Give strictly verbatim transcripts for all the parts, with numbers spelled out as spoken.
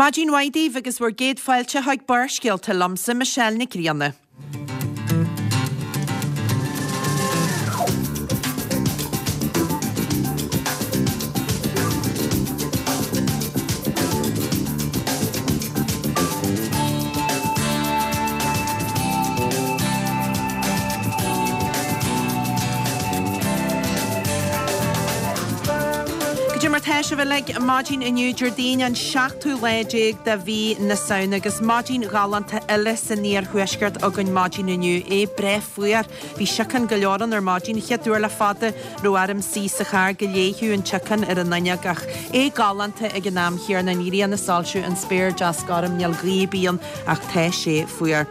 Maidin mhaith daoibh agus bhur gcéad fáilte chuig Barrscéalta liomsa Michelle Nic Grianna. Goidé mar tá sibh uilig maidin inniu Déardaoin an seachtú lá déag de mhí na Samhna agus maidin ghalánta eile san iarthuaisceart againn maidin inniu é breá fuar. Bhí síocán go leor ann ar maidin chéad uair le fada raibh orm suí sa charr go léitheadh an tsíocán ar an fhuinneog ach é galánta ag an am chéanna an ghrian ag soilsiú an spéir deas gorm níl gaoth ar bith ann ach tá sé fuar.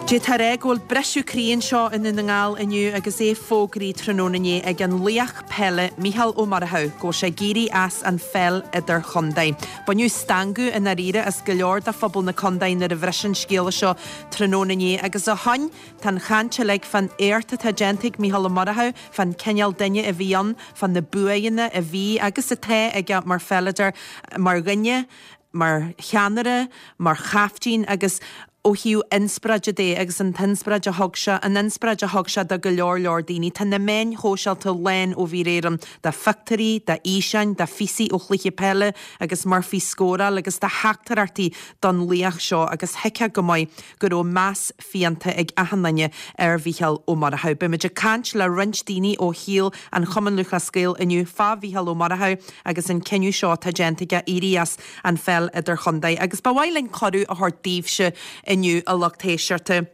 D'fhéadfá a rá go bhfuil briseadh croí anseo i nDún na nGall inniu agus é fógraithe tráthnóna inné ag an laoch peile Mícheál Ó Murchú go bhfuil sé ag éirí as an pheil idirchontae. Baineadh stangadh i ndáiríre as go leor de phobal na contae nuair a bhris an scéala seo tráthnóna inné agus ó shoin tá an chaint uilig fán éacht atá déanta ag Mícheál Ó Murchú, fán cineál duine a bhí ann, fá na buanna a bhí agus atá aige mar pheileadóir, mar dhuine, mar cheannaire, mar chaiftín agus ó thaobh inspioráide de agus an t-inspioráid a thug sé, an inspioráid a thug sé do go leor leor daoine. Tá na meáin shóisialta lán ó bhí réireann de phictiúirí, de fhíseáin, de phíosaí ó chluiche peile agus Murphy ag scóráil agus de theachtaireachtaí don laoch seo agus thuigfeá go maith go raibh meas fiánta ag achan duine ar Mhícheál Ó Murchú. Beimid ag caint le roinnt daoine ó shaol an Chumann Lúthchleas Gael inniu fá Mhícheál Ó Murchú agus an cinneadh seo atá déanta aige éirí as an pheil idirchontae agus ba mhaith linn cuireadh a thabhairt daoibhse inniu a lucht éisteachta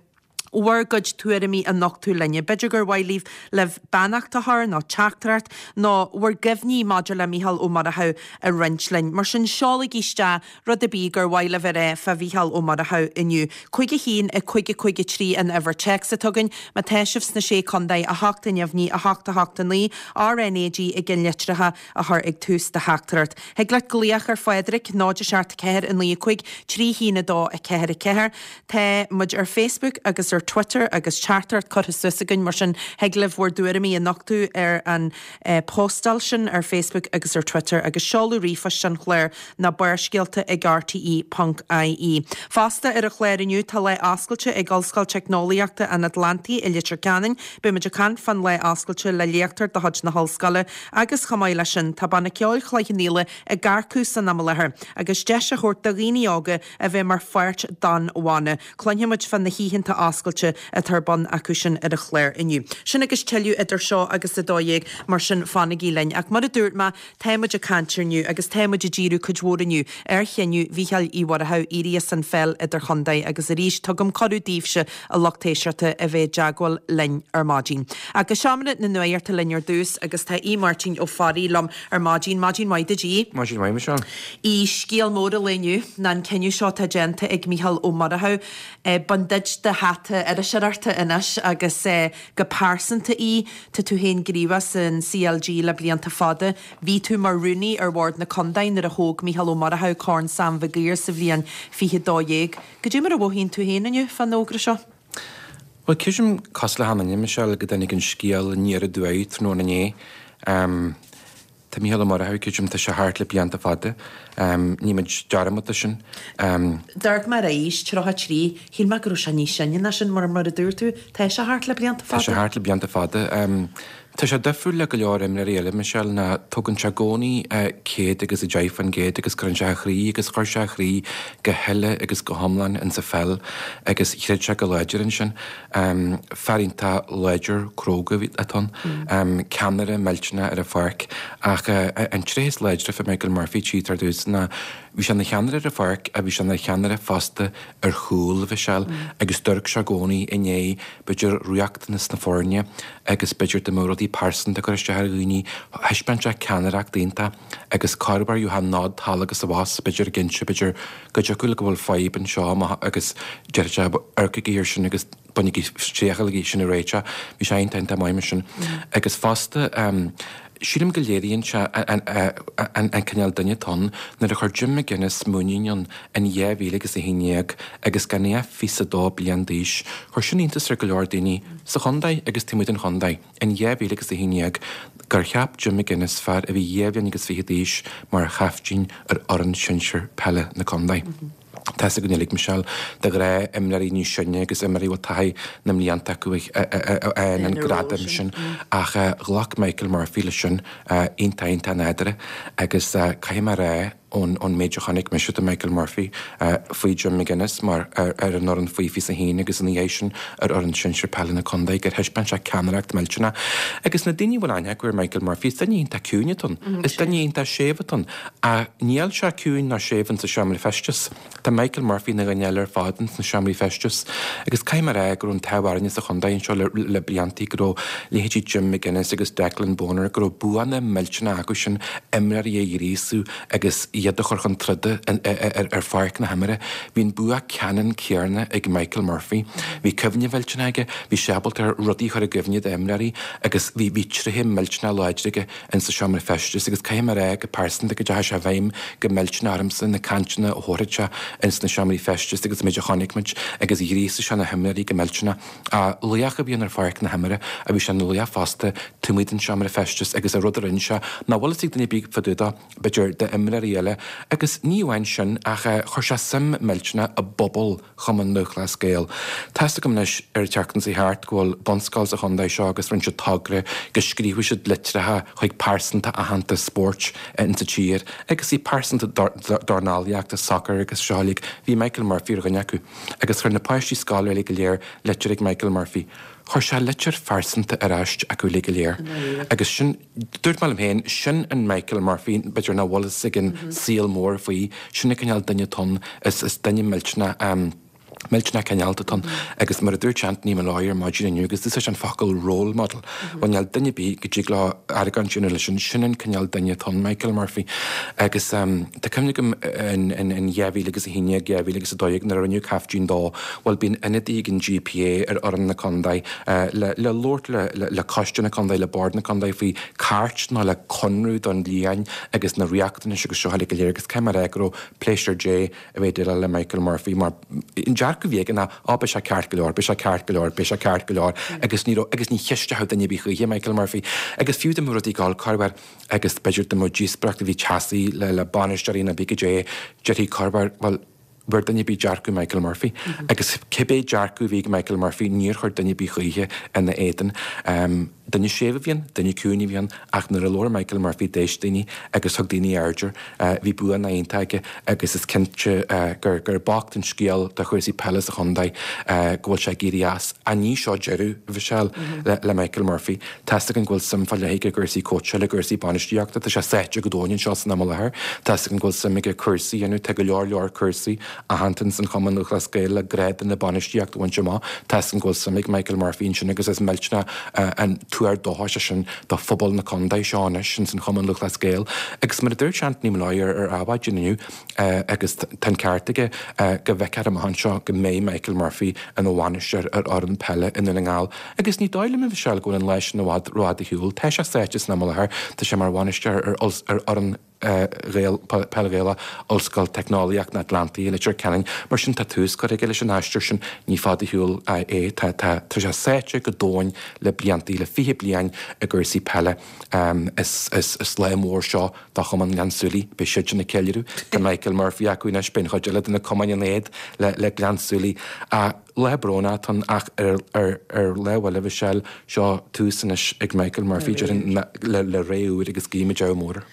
bhur gcuid tuairimí a nochtadh linne. B'fhéidir gur mhaith libh libh beannacht a chur nó teachtaireacht nó bhur gcuimhní maidir le Mícheál Ó Murchú a roinnt linn. Mar sin seolaigí isteach rud ar bith gur mhaith libh a rá fá Mhícheál Ó Murchú inniu. Cúig a haon a cúig a cúig a trí an uimhir téacs atá againn, má tá sibh sna sé contae a hocht a neamhní a hocht a hocht a naoi RNAG i gceannlitreacha a chur ag tús do theachtaireacht. Thig leat glaoch ar Phádraig náid a seacht ceathair a naoi a cúig trí haon a dó a ceathair a ceathair. Tá muid ar Facebook agus ar Twitter agus teachtaireacht curtha suas againn mar sin thig libh bhur dtuairimí a nochtadh ar an eh, postáil sin ar Facebook agus ar Twitter agus seoladh ríomhphost an chláir ná barrscéalta ag RTE.ie. Fosta ar an chlár inniu tá lá oscailte ag Ollscoil Teicneolaíochta an Atlantaigh i Leitir Ceanainn, Beimid ag caint fán lá oscailte le léachtóir de chuid na hollscoile agus chomh maith leis sin tá banna ceoil Chloich Cheann Fhaola ag earcú san am i láthair agus deis a thabhairt do dhaoine óga a bheith mar pháirt den bhanna. Cluinfimid fá na hoícheanta oscailte atá ar bun acu sin ar an chlár inniu. Sin agus tuilleadh idir seo agus a dó dhéag mar sin fanaigí linn. Ach mar a dúirt mé tá muid ag caint inniu agus tá muid ag díriú cuid mhór inniu ar chinneadh Mhícheáil Uí Mhurchú éirí as an pheil idirchontae agus arís tugaim cuireadh daoibhse a lucht éisteachta a bheith i dteagmháil linn ar maidin. Ach go seomra na nuachta linn ar dtús agus tá Aodh Máirtín Ó Fearraigh liom ar maidin maidin mhaith duit Aodh. Maidin mhaith Michelle. I scéal mór an lae inniu ná an cinneadh seo atá déanta ag Mícheál Ó Murchú. Bain duit do hata iriseoireachta anois agus go pearsanta í tá tú féin gníomhach san CLG le blianta fada. Bhí tú mar rúnaí ar bhord na contae nuair a thóg Mícheál Ó Murchú Corn Sam Mhig Uidhir sa bhliain fiche dó dhéag. Goidé mar a mhothaíonn tú féin inniu fán fhógra seo. Well ceapaim cosúil le achan duine Michelle go dtáinig an scéal aniar aduaidh tráthnóna inné. Um, Tá Mícheál Ó Murchú ceapaim tá sé thart le blianta fada. Um, ní muid dearmad sin. Um, D'amharc mé ar a aois tríocha trí, shíl mé go raibh sé níos sine ná sin mar mar a dúirt tú, tá sé thart le blianta Tá sé fada. thart le blianta fada. Um, Tá sé difriúil le go leor imreoirí eile Michelle ná tugann sé i gcónaí céad agus a deich faoin gcéad agus cuireann sé a chroí agus chuir sé a chroí go huile agus go hiomlán insa pheil agus chreid sé go láidir ansin. Um, fear iontach láidir cróga atá ann, um, ceannaire millteanach ar an pháirc ach uh, an tréith is láidre fá Michael Murphy tí tar dtús ná bhí sé ina cheannaire ar an pháirc a bhí sé ina cheannaire fosta ar chúl Michelle agus d'amharc sé i gcónaí i ndiaidh b'fhéidir riachtanas na foirne agus b'fhéidir dá mbeadh rudaí pearsanta cur isteach ar dhaoine thaispeáin sé ceannaireacht iontach agus corruair gheofá nod thall agus abhus b'fhéidir cinnte b'fhéidir go dtiocfadh go bhfuil fadhb anseo agus deir sé amharcaigí air sin agus bainigí triail sin a réiteach bhí sé iontach maith mar sin agus fosta um, Sílim go léiríonn sé an cineál duine atá ann nuair a chuir Jim McGuinness muinín ann in dhá mhíle agus a haon déag agus gan é ach fiche a dó bliain d'aois. Chuir sin iontas ar go leor daoine sa chontae agus taobh amuigh den chontae in dhá mhíle agus a haon déag gur cheap Jim McGuinness fear a bhí dhá bhliain agus fiche d'aois mar chaiftín ar fhoireann sinsir peile na contae. Tá's againn uilig, Michelle, de ghnáth imreoirí níos sine agus imreoirí a bhfuil taithí na mblianta acu a fhaigheann an gradam sin ach ghlac Michael Murphy leis sin iontach iontach nádúrtha agus caithfidh mé a rá ón méid a chonaic mise de Michael Murphy faoi Jim McGuinness mar ar an fhoireann faoi fiche a haon agus ina dhiaidh sin ar fhoireann sinsir peile na contae gur thaispeáin sé ceannaireacht millteanach agus na daoine a bhfuil aithne acu ar Michael Murphy is duine iontach ciúin atá ann, is duine iontach séimh atá ann ach níl sé ciúin ná séimh insa seomra feistis. Tá Michael Murphy ina dhuine eile ar fad ins na seomraí feistis agus caithfidh mé a rá go raibh an t-ádh orainne sa chontae anseo le le bliantaí go raibh leithéidí Jim McGuinness agus Declan Bonner go raibh buanna millteanacha acu sin imreoirí a ghríosú agus iad a chur chun troda ar pháirc na himeartha. Bhí an bua ceannann céanna ag Michael Murphy. Bhí cuimhne mhillteanach aige, bhí sé ábalta rudaí a chur i gcuimhne d'imreoirí agus bhí bhí tréithe millteanach láidre aige insa seomra feistis agus caithfidh mé a rá go pearsanta go dteachaigh sé i bhfeidhm go millteanach ormsa na cainteanna a thabharfadh sé ins na seomraí feistis agus an méid a chonaic muid agus ghríosaigh sé na himreoirí go millteanach. Laoch a bhí ann ar pháirc na himeartha a bhí sé ina laoch fosta taobh amuigh den seomra feistis agus an rud a rinne sé nach bhfuil fhios ag duine ar bith fá dtaobh dó, b'fhéidir, d'imreoirí eile agus ní amháin sin ach chuir sé suim millteanach i bpobal Chumann Lúthchleas Gael. Tá's agam anois ar an tseachtain seo thart go bhfuil bunscoil sa chontae seo agus rinne siad togra go scríobhadh siad litreacha chuig pearsanta aitheanta spóirt insa tír agus í pearsanta dornálaíochta, sacair agus seo uilig. Bhí Michael Murphy ar dhuine acu agus chuir na páistí scoile uilig go léir litir ag Michael Murphy. Chuir sé litir phearsanta ar ais acu uilig go léir agus sin, dúirt mé liom féin, sin an Michael Murphy, b'fhéidir nach bhfuil fhios ag an saol mór faoi, sin an cineál duine atá ann, is is duine millteanach, millteanach cineálta atá ann agus mar a dúirt Anthony Molloy ar maidin inniu agus d'úsáid sé an focal role model, bhuel níl duine ar bith go dtig leo argóint a dhéanamh leis sin, sin an cineál duine atá ann, Michael Murphy. Agus tá cuimhne agam in in dhá mhíle agus a haon déag, dhá mhíle agus a dó dhéag nuair a rinneadh caiftín dó, bhuel bíonn ionadaí ag an GPA ar fhoireann na contae le le labhairt le le coiste na contae, le bord na contae faoi cairt nó le conradh don bhliain agus na riachtanais agus seo uilig go léir agus caithfidh mé a rá go raibh pléisiúr Dé a bheith ag déileáil le Michael Murphy mar an dearcadh a bhí aige ná á beidh sé ceart go leor, beidh sé ceart go leor, beidh sé ceart go leor agus ní raibh agus ní cheisteodh duine ar bith choíche Michael Murphy agus fiú dá mbeadh rudaí ag dul corruair agus b'fhéidir dá mbeadh díospóireacht a bhí teasaí le le bainisteoirí nó pé cad é déarfaí corruair bhuel bhfuair duine ar bith dearcadh Michael Murphy agus cibé dearcadh a bhí ag Michael Murphy níor chuir duine ar bith choíche ina éadan. Duine séimh a bhí ann, duine ciúin a bhí ann ach nuair a labhair Michael Murphy d'éist daoine agus thug daoine aird air. Bhí buanna iontach aige agus is cinnte gur gur bocht an scéal do chúrsaí peile sa chontae go bhfuil sé ag éirí as. Ach ní seo deireadh, a Mhichelle, le Michael Murphy. Tá's againn go bhfuil suim fá leith aige i gcúrsaí cóitseála, i gcúrsaí bainistíochta. Tá sé sáite go domhain anseo san am i láthair. Tá's againn go bhfuil suim aige cúrsaí a dhéanamh. Tá go leor leor cúrsaí aitheanta ins an Chumann Lúthchleas Gael le grádanna bainistíochta a bhaint amach. Tá's againn go bhfuil suim ag Michael Murphy ansin agus is millteanach an tuar dóchais é sin do phobal na contae seo anois ins an Chumann Lúthchleas Gael. Agus mar a dúirt Anthony Molloy ar Adhmhaidin inniu, agus tá an ceart aige, go bhfeicfear amach anseo go mbeidh Michael Murphy ina bhainisteoir ar fhoireann peile i nDún na nGall. Agus ní dóigh liom, a Mhichelle, go bhfuil an lá sin i bhfad rófhada ar shiúl. Tá sé sáite san am i láthair, tá sé mar bhainisteoir ar fhoireann Ghael, Peil Ghaelach Ollscoil Teicneolaíocht na Atlantaí i Leitir Ceanainn. Mar sin tá tús curtha aige leis an aistear sin. Ní fada ar shiúl é. Tá, tá, tá sé sáite go domhain le bliantaí, le fiche bliain i gcúrsaí peile. Is, is, is lá mór seo do Chumann Ghleann tSúilí. Beidh siadsan ag ceiliúradh. Tá Michael Murphy acu anois. Beidh an chuid eile de na cumainn in éad le, le Gleann tSúilí. Ach lá brónach atá ann ach ar, ar, ar lámh eile, a Mhichelle, seo tús anois ag Michael Murphy, déarfainn, le, le ré úr agus guímid ádh mór air.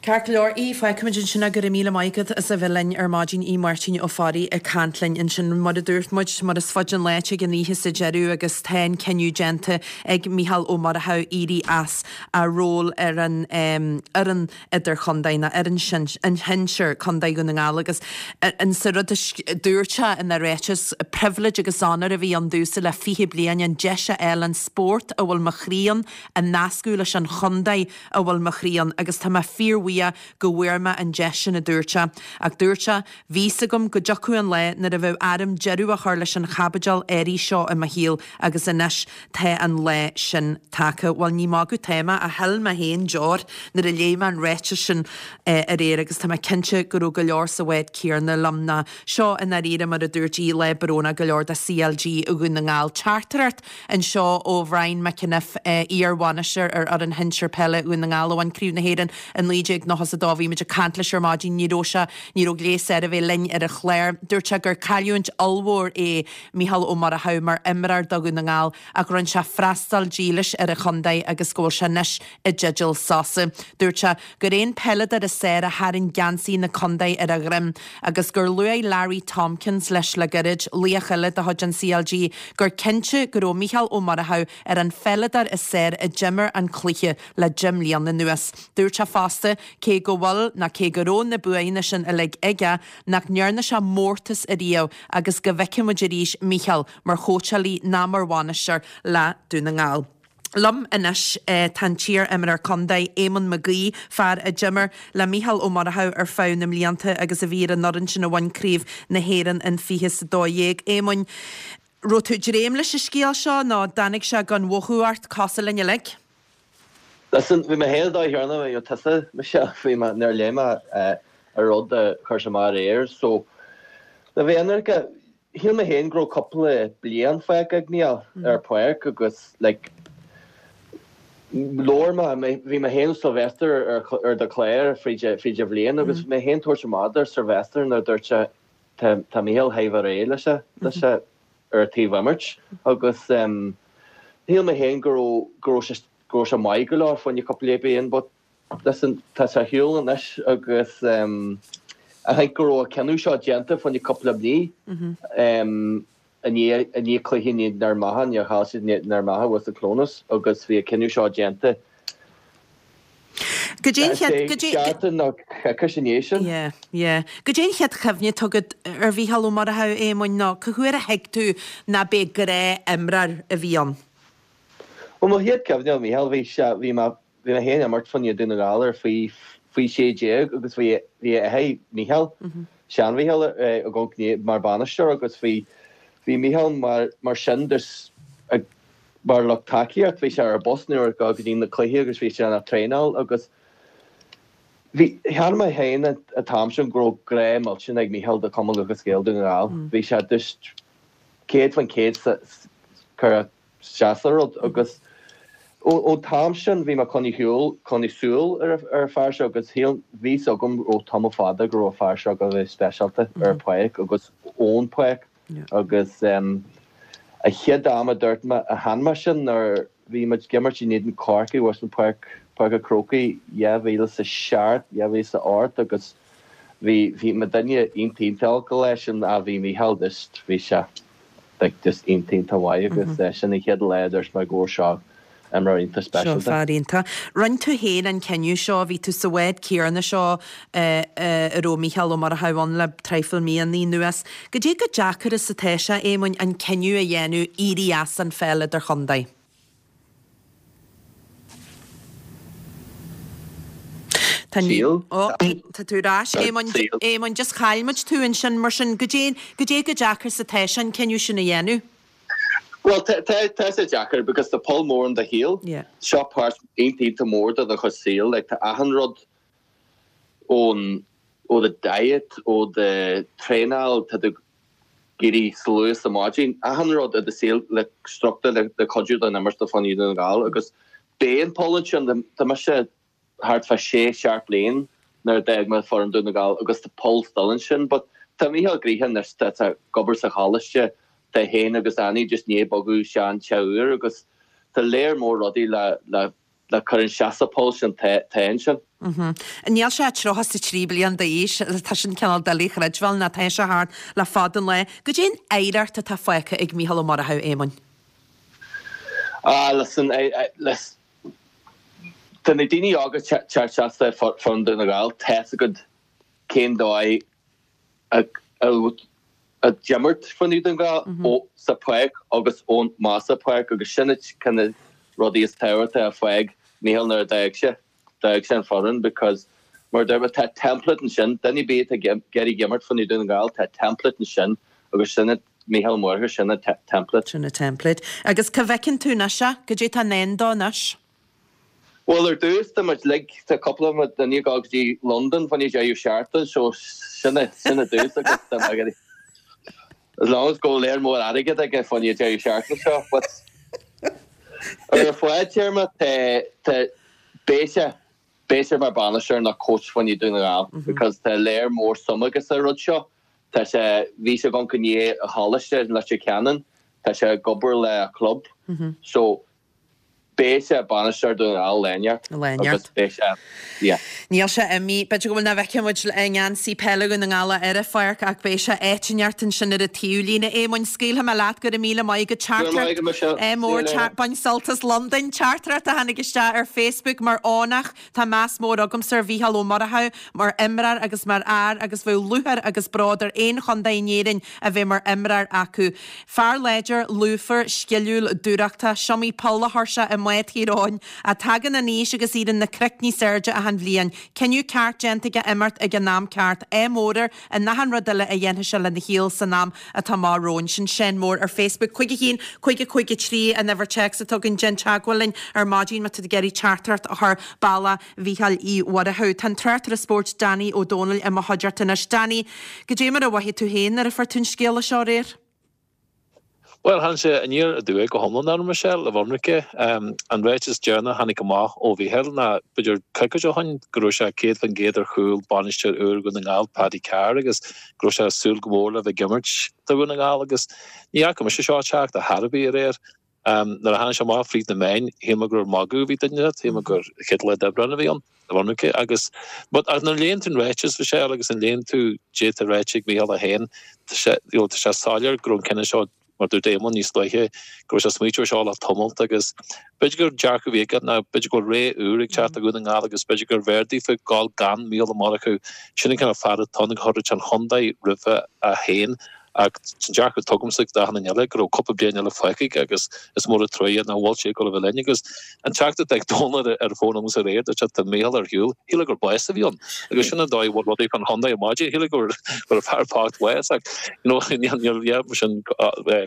Ceart go leor, Aodh, fágfaimid ansin é, go raibh míle maith agat as a bheith linn ar maidin, Aodh Máirtín Ó Fearraigh ag caint linn ansin. Mar a dúirt muid, mar is faide an lá tig an oíche sa deireadh agus tá an cinneadh déanta ag Mícheál Ó Murchú éirí as a ról ar an fhoireann idirchontae nó fhoireann shinsir Contae Dhún na nGall agus an sa rud a dúirt sé ina ráiteas, pribhléid agus onóir a bhí ann domhsa le fiche bliain an deis a fháil an spórt a bhfuil mo chroí ann a nascadh leis an chontae a bhfuil mo chroí ann agus tá mé fíorbhuíoch go bhfuair mé an deis sin, a dúirt sé. Ach dúirt sé, Bhí 'fhios agam go dtiocfadh an lá nuair a bheadh orm deireadh a chur leis an chaibidil áirithe seo i mo shaol agus anois tá an lá sin tagtha. Bhuel, ní magadh atá mé, ach shil mé féin deoir nuair a léigh mé an ráiteas sin aréir agus tá mé cinnte go raibh go leor sa bhád céanna liom ná seo i ndáiríre mar a dúirt í, lá brónach go leor do CLG Dhún na nGall. Teachtaireacht anseo ó Bhrian McEniff, iar-bhainisteoir ar fhoireann shinsir peile Dhún na nGall a bhain Craobh na hÉireann i naoi déag nócha is a dó. Bhí muid ag caint leis ar maidin, ní raibh sé, ní raibh gléas air a bheith linn ar an chlár. Dúirt sé gur cailliúint ollmhór é Mícheál Ó Murchú mar imreoir do Dhún na nGall ach rinne sé freastal dílis ar a chontae agus go bhfuil sé anois i dteideal sosa. Dúirt sé gur é an peileadóir is fearr a tharraing geansaí na contae ar a dhroim agus gur luaigh Larry Tompkins leis le gairid, laoch eile de chuid an CLG, gur cinnte go raibh Mícheál Ó Murchú ar an pheileadóir is fearr a d'imir an cluiche le deich mbliana anuas. Dúirt sé fosta, cé go bhfuil, nó cé go raibh na buanna sin uilig aige, nach ndearna sé mórtas ariamh agus go bhfeicfidh muid arís Mícheál mar chóitseálaí ná mar bhainisteoir le Dún na nGall. Liom anois tá an t-iar-imreoir contae, Éamonn Mac Aoidh, fear a d'imir le Mícheál Ó Murchú ar feadh na mblianta agus a bhí ar an fhoireann sin a bhain Craobh na hÉireann in fiche is a dó dhéag. Éamoinn, raibh tú ag dréim leis an scéal seo nó dtáinig sé gan mhothú ort cosúil linn uilig? Listen, bhí mé féin dóigh chéanna, bhí tusa, Michelle, bhí mé, nuair a léigh mé an rud a chuir sé amach aréir, so, le bheith ionraice, shíl mé féin go raibh cúpla bliain fágtha ag Mícheál ar páirc agus, like, labhair mé, bhí mé féin Sylvester ar ar do chlár fríd fríd an bhliain agus bhí mé féin tabhairt amach do Sylvester nuair a dúirt sé tá tá Mícheál thar a bheith réidh leis leis ar an taobh imirt agus shíl mé féin go raibh go raibh sé go raibh sé maith go leor fá choinne cúpla bliain but listen tá sé ar shiúl anois agus I think go raibh an cinneadh seo déanta fá choinne cúpla bliain i ndiaidh i ndiaidh cluiche in éadan Fhear Manach nuair a chaill siad in éadan Fhear Manach thuas i Clones agus bhí an cinneadh seo déanta Goidé an chéad, goidé, seachtain nó coicís i ndiaidh sin. Yeah, yeah. Goidé an chéad chuimhne atá agat ar Mhícheál Ó Murchú, a Éamoinn, nó cá huair a thuig tú ná b'é gnáth-imreoir a bhí ann? Bhuel, mo chéad chuimhne ar Mhícheál, bhí sé, bhí mé, bhí mé féin ag imirt fá choinne Dún na nGall ar faoi, faoi sé déag agus bhí, bhí a athair, Mícheál, sean-Mhícheál, ag gabháil mar bhainisteoir agus bhí, bhí Mícheál mar, mar sin just ag, mar lucht tacaíocht, bhí sé ar an bus nuair a go dtí na cluichí agus bhí sé ina traenáil agus bhí, cheap mé féin an t-am sin go raibh grá millteanach ag Mícheál do Chumann Lúthchleas Gael Dún na nGall. Bhí sé just céad faoin chéad curtha isteach sa rud agus ón t-am sin bhí mé coinne shiúl, coinne súil ar an fear seo agus shíl, bhí 'fhios agam ó tamall fada go raibh an fear seo go bheith speisialta ar an pháirc agus ón pháirc. Agus an chéad am a dúirt mé, a chan mé sin nuair bhí muid ag imirt in éadan Corcaigh thuas in Páirc, Páirc an Chrócaigh dhá mhíle is a seacht, dhá mhíle is a ocht agus bhí, bhí mé duine iontach iontach olc leis sin ach bhí Mícheál just, bhí sé like just iontach iontach mhaith agus sin an chéad lá a dúirt mé go raibh seo imreoir iontach Seo speisialta. fear iontach. Rinne tú féin an cinneadh seo, bhí tú sa bhád céanna seo a raibh Mícheál Ó Murchú ann le traidhfil míonna anuas. Goidé chomh deacair is atá sé, Éamoinn, an cinneadh a dhéanamh éirí as an pheil idirchontae? Tá ní. Síl. Ó, tá tú ar ais, Éamoinn. Éamoinn, just chaill muid tú ansin, mar sin, goidé, goidé chomh deacair is atá sé an cinneadh sin a dhéanamh? Bhuel, tá sé deacair because tá poll mór in do shaol. Seo páirt iontach iontach mór de do chuid saoil. Like tá achan rud ón ó do diet, ó do traenáil, tá tú ag éirí sa luath sa maidin, achan rud i do saol le struchtúr le le cuidiú don imirt do fá choinne Dhún na nGall agus beidh an poll ansin. Tá mise thart fá sé, seacht bliain nuair a d'fhág mé foireann Dún na nGall agus tá poll still ansin but tá Mícheál gnoitheach anois, tá sé ag obair sa choláiste, tá é féin agus Annie just i ndiaidh bogadh isteach an teach úr agus tá léar mór rudaí le le le cur isteach sa poll sin tá tá ansin. Níl sé tríocha is a trí bliain d'aois, tá sin cineál doiligh a chreidbheáil ná tá sé thart le fada an lá. Goidé an oidhreacht atá fágtha ag Mícheál Ó Murchú, Éamoinn? Ah listen, I, I, listen, Tá na daoine óga teacht isteach sa foireann Dún na nGall, tá's agat cén dóigh a D'imirt fá choinne Dún na nGall ó sa pháirc agus ón más sa pháirc agus sin na kind of rudaí is tábhachtaí a fág Mícheál nuair a d'fhág sé d'fhág sé an foireann because mar deir tá template ansin duine ar bith ag iarraidh imirt fá choinne Dún na nGall tá template ansin agus sin Mícheál Ó Murchú sin an template. Sin an template. Agus cá bhfeiceann tú anois é? Goidé tá i ndán dó anois? Well ar dtús tá muid like tá cúpla duine ag dul go dtí London fá choinne deireadh seachtaine so sin sin ar dtús agus tá mé As long as go léir mór airgead aige fá choinne deireadh seachtaine seo but ar fadtéarma tá beidh sé beidh sé mar bainisteoir nó coach fá choinne Dún na nGall because tá léir mór suim aige sa rud seo tá sé bhí sé gan cunné a choláiste Leitir Ceanainn tá sé ag obair le club so beidh sé bainisteoir Dún na nGall léneart Léneart. beidh sé yeah. Níl sé imithe b'fhéidir go bhfuil na bhfeiceann muid i ngeansaí peile Dhún na nGall ar an pháirc ach beidh sé áit inteacht ansin ar an taobhlíne. Éamoinn scaoilfidh mé leat go raibh míle maith agat teachtaireacht é mór bain sult as Londain teachtaireacht a tháinig isteach ar Facebook mar fhánach tá meas mór agamsa ar Mhícheál Ó Murchú mar imreoir agus mar fhear agus bheadh lúcháir agus bród ar aon chontae in Éirinn a bheith mar imreoir acu. Fear láidir lúfar sciliúil dúthrachtach is iomaí poll a chuir sé i mbád Thír Eoghain a tagann in aois agus iad na cnoic níos airde achan bhliain. Cinneadh ceart déanta aige imirt ag an am ceart é mór in achan rud eile a dhéanfaidh sé lena shaol san am atá amach romhainn sin Seán Mór ar Facebook cúig a haon cúig a cúig a trí an uimhir téacs atá againn déan teagmháil linn ar maidin má tá tú ag iarraidh teachtaireacht a chur bealach Mhícheáil Uí Mhurchú. Tá an tráchtaire spóirt Danny Ó Dónaill i mo chuideachta anois. Danny, goidé mar a mhothaigh tú féin nuair a fuair tú an scéala seo aréir. Well tháinig sé aniar aduaidh go hiomlán ar Michelle a bhunraice an ráiteas deireanach tháinig amach ó Mhícheál ná b'fhéidir coicís ó shin go raibh sé céad faoin gcéad ar chúl bainisteoir úr Dhún na nGall Paddy Carr agus go raibh sé súil go mór le bheith ag imirt do Dhún na nGall agus ní fhaca mise seo teacht ar chor ar bith aréir. Um, nuair a tháinig sé amach fríd na meáin shíl mé gur magadh bhí duine shíl mé gur chéad lá d'Aibreán a bhí ann a bhunraice agus but ach nuair a léann tú an ráiteas Michelle agus an léann tú déta réitigh Mícheál a haon tá sé you know, tá sé soiléir go raibh an cinneadh seo mar dúirt Éamonn níos luaithe go raibh sé smaoitiú seo le tamall agus b'fhéidir gur dearcadh a bhí aige ná b'fhéidir go bhfuil ré úr ag teacht ag Dún na nGall agus b'fhéidir gur bhfearr daofa gabháil gan Mícheál Ó Murchú sin an cineál fear atá ag chur an chontae roimhe a haon ach san dearcadh tugamsa d'achan eile go raibh cúpla bliain eile fágtha agus is mór an trua nach bhfuil sé go bhfuil linn agus an teachtaireacht ag Dónal ar ar fón agus aréir dúirt sé tá Mícheál ar shiúl shíl gur bás a bhí ann agus sin an dóigh bhfuil rudaí fan chontae ar maidin shíl gur gur fear bocht bás ach you know níl yeah sin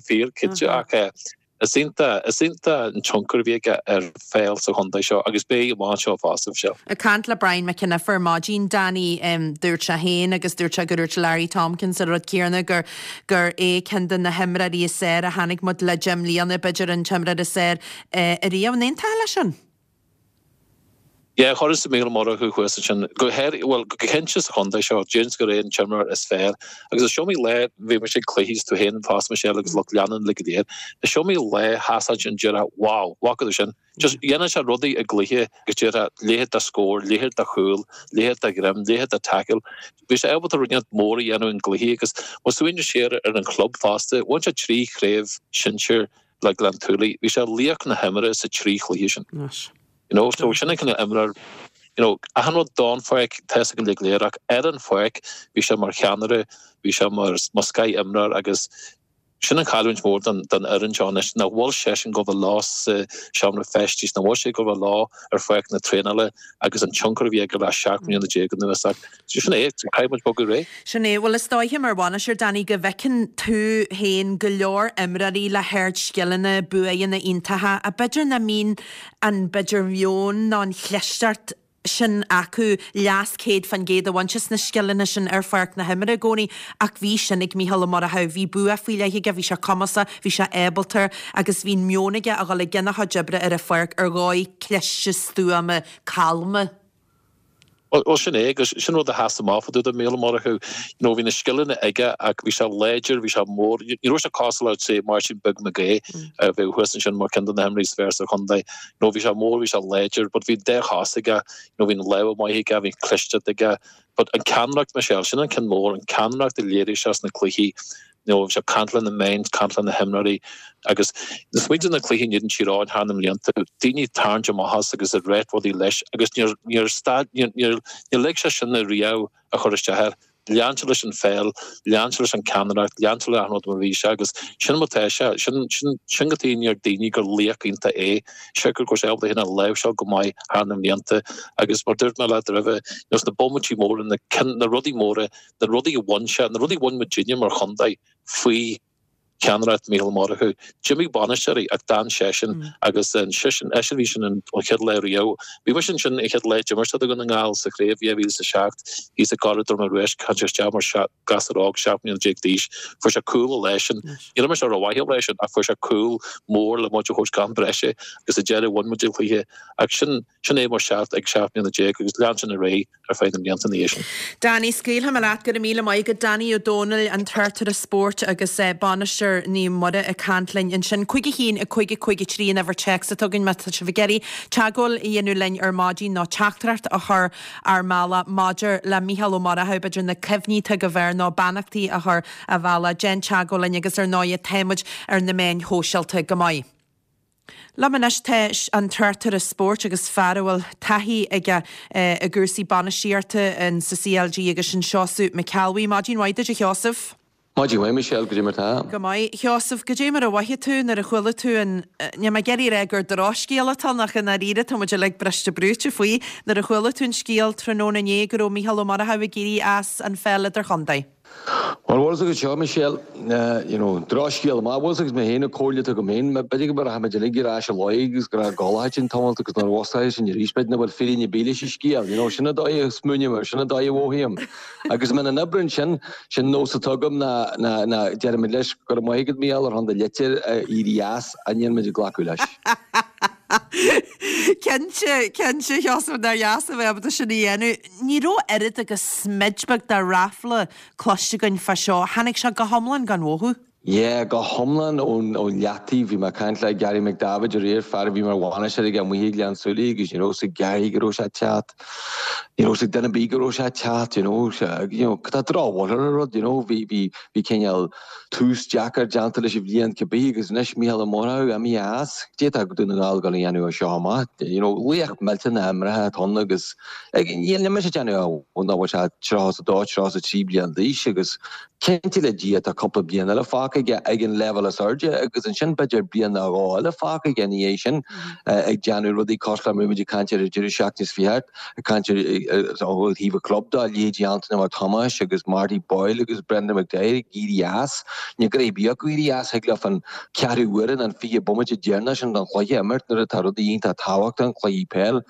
fíor cinnte ach eh, is iontach is iontach an tionchar a bhí aige ar pheil sa chontae seo agus beidh amach seo fosta seo. Ag caint le Brian McKenna ar maidin Danny um, dúirt sé féin agus dúirt sé gur dúirt Larry Tompkins an rud céanna gur gur é ceann de na himreoirí is fearr a chonaic muid le deich mbliana b'fhéidir an t-imreoir is fearr uh, ariamh an aontaíonn leis sin. Ja chuir sa Mícheál Ó Murchú chuas sin go héir well go cinnte sa chontae seo James gur é an t-imreoir is fearr agus is iomaí lá bhí sé cluichí tú féin fás sé agus lucht leanúna le go léir is iomaí lá sheas an deireadh wow bhfaca sin Just dhéanann sé rudaí i gcluiche agus deir leithéid de scór, leithéid de chúl, leithéid de ghreim, leithéid de tackle. Bhí sé ábalta rudaí mór a dhéanamh in gcluichí agus má smaoiníonn siar ar an chlub fosta, bhain sé trí chraobh sinsir le Gleann tSúilí, bhí sé laoch na himeartha sa trí chluiche sin. You know, so sin an cineál imreoir you know, achan rud don pháirc tá go le léir ach ar an pháirc bhí sé mar cheannaire, bhí sé mar mar scoth-imreoir agus sin an chailliúint mór don don fhoireann seo anois nach bhfuil sé sin go bhfuil lá sa seomra feistis nach bhfuil sé go bhfuil lá ar pháirc na traenála agus an tionchar a bhí aige le seacht mbliana déag anuas ach sin é caithfidh muid bogadh réidh. Sin é bhfuil is dóiche mar bhainisteoir Danny go bhfeiceann tú féin go leor imreoirí le hardscileanna buanna iontacha a b'fhéidir nach mbíonn an b'fhéidir meon ná an chlisteacht sin acu leas céad faoin gcéad a bhaint as na scileanna sin ar pháirc na himeartha i gcónaí ach bhí sin ag Mícheál Ó Murchú bhí bua faoi leith aige bhí sé cumasach bhí sé ábalta agus bhí meon aige a dhul i gcionn a chuid oibre ar an pháirc ar dhóigh cliste stuama calma. Well sin é agus sin rud a sheas amach fá dtaobh de Mhícheál Ó Murchú you know, bhí na scileanna aige ach bhí sé láidir, bhí sé mór ní raibh sé cosúil le say Martin Beag McGay a bheith thuas ansin mar ceann de na himreoirí is fearr sa chontae. You know, bhí sé mór, bhí sé láidir, but bhí dá chos aige, you know, bhí an lámh maith aige, bhí clisteacht aige. But an ceannaireacht Michelle, sin an ceann mór, an ceannaireacht a léirigh sé sna cluichí, you know, bhí sé caint le na meáin, caint le na himreoirí agus smaointe na cluichí in Tír thar na mblianta, daoine tarraingt amach as agus a rá rudaí leis agus níor níor stad níor níor níor lig sé sin na riamh a chur isteach air. Lean sé leis an pheil, lean sé leis an ceannaireacht, lean sé le achan rud mar a bhí sé agus sin mar atá sé, sin, sin, sin go dtí ar daoine gur laoch iontach é, siocair go raibh sé ábalta é féin a láimhseáil go maith thar na mblianta agus mar dúirt mé leat roimhe, you know, sna bomaití móra, na, na rudaí móra, na rudaí a bhain sé, na rudaí a bhain muidinne mar chontae faoi cheannaireacht Mhícheál Ó Murchú. D'imigh bainisteoirí ach d'fhan seisean agus seisean, eisean bhí sin an chéad lá riamh. Bhí mise ansin an chéad lá d'imir siad do Dhún na nGall sa chraobh dhá mhíle is a seacht thíos i gCora Droma Ruaisc, tháinig sé isteach mar ghasúr óg seacht mbliana déag d'aois. Fuair sé cúl an lá sin. Níor imir sé rómhaith an lá sin ach fuair sé cúl mór le muid a thabhairt go am breise agus sa deireadh bhain muid an cluiche. Ach sin, sin é mar seacht ag seacht mbliana déag agus lean sin ar aghaidh ar feadh na mblianta ina dhiaidh sin. Danny, scaoilfidh mé leat, go raibh míle maith agat. Danny Ó Dónaill, an tráchtaire spóirt agus bainisteoir Naomh Muire ag caint linn ansin. Cúig a haon, a cúig, a cúig a trí an uimhir téacs atá againn má tá sibh ag iarraidh teagmháil a dhéanamh linn ar maidin nó teachtaireacht a chur ár mbealach maidir le Mícheál Ó Murchú, b'fhéidir na cuimhní atá agaibh air nó beannachtaí a chur a bhealach. Déan teagmháil linn agus ar ndóigh tá muid ar na meáin shóisialta go maith. Liom anois tá an tráchtaire spóirt agus fear a bhfuil taithí aige i gcúrsaí bainistíochta in sa CLG agus sin Seosamh Mac Ceallbhuí. Maidin mhaith duit a Sheosaimh. Maidin mhaith Michelle, goidé mar tá? Go maith. Sheosamh, goidé mar a mhothaigh tú nuair a chuala tú an, níl mé ag iarraidh a rá gur drochscéal atá ann ach i ndáiríre tá muid uilig briste brúite faoi, nuair a chuala tú an scéal tráthnóna inné go raibh Mícheál Ó Murchú ag éirí as an pheil idirchontae? Bhuel, bhfuil a fhios agat seo, Michelle, you know, drochscéal amach, bhfuil a fhios agat mé féin, an comhairle atá agam féin, b'fhéidir go rachaidh muid uilig ar ais i luí agus go raibh gol sin tamalt agus nuair a mhusclóidh sinn arís, b'fhéidir nach bhfuil fírinne ar bith leis an scéal, you know, sin an dóigh a smaoiním air, sin an dóigh a mhothaím. Agus mé in obair ansin, sin nós atá agam ná, ná, ná deirimid leis go raibh maith agat Mícheál ar shon do litir éirí as, a níl muid ag glacadh leis. Cinnte, cinnte, Sheosamh, nár dheas a bheith ábalta sin a dhéanamh. Ní raibh oiread agus smid beag de ráfla cloiste againn fá seo. Tháinig sé go hiomlán gan mhothú. Yeah, go hiomlán ón ón leataobh. Bhí mé ag caint le Gary McDavitt aréir, fear a bhí mar bhainisteoir aige amuigh i nGleann tSúilí agus you know, sa Gary go raibh sé ag teacht, you know, sa duine ar bith go raibh sé ag teacht, you know, you know, tá drochbhail ar an rud, you know, bhí bhí bhí cineál tús deacair déanta leis an bhliain cibé agus anois Mícheál Ó Murchú imithe as, cad é atá Dún na nGall ag dul a dhéanamh as seo amach, you know, laoch millteanach imeartha atá ann agus níl mise ag déanamh ó ná bhfuil sé tríocha is a dó, tríocha is a trí bliain d'aois agus cinnte le Dia tá cúpla bliain eile fágtha aige ag an leibhéal is airde agus ansin b'fhéidir bliain nó dhó eile fágtha aige ina dhiaidh sin ag déanamh rudaí cosúil le mar a bhí muid ag caint ar an deireadh seachtaine seo thart, ag caint ar ó thaobh an chlub de, leithéidí Anthony Mac Thomáis agus Marty Boyle agus Brendan McDyer ag éirí as. Ní go raibh bíodh acu éirí as, thig leo an ceathrú uaire nó an fiche bomaite deireanach sin den chluiche a imirt nuair atá rudaí iontach tábhachtach, cluichí peil.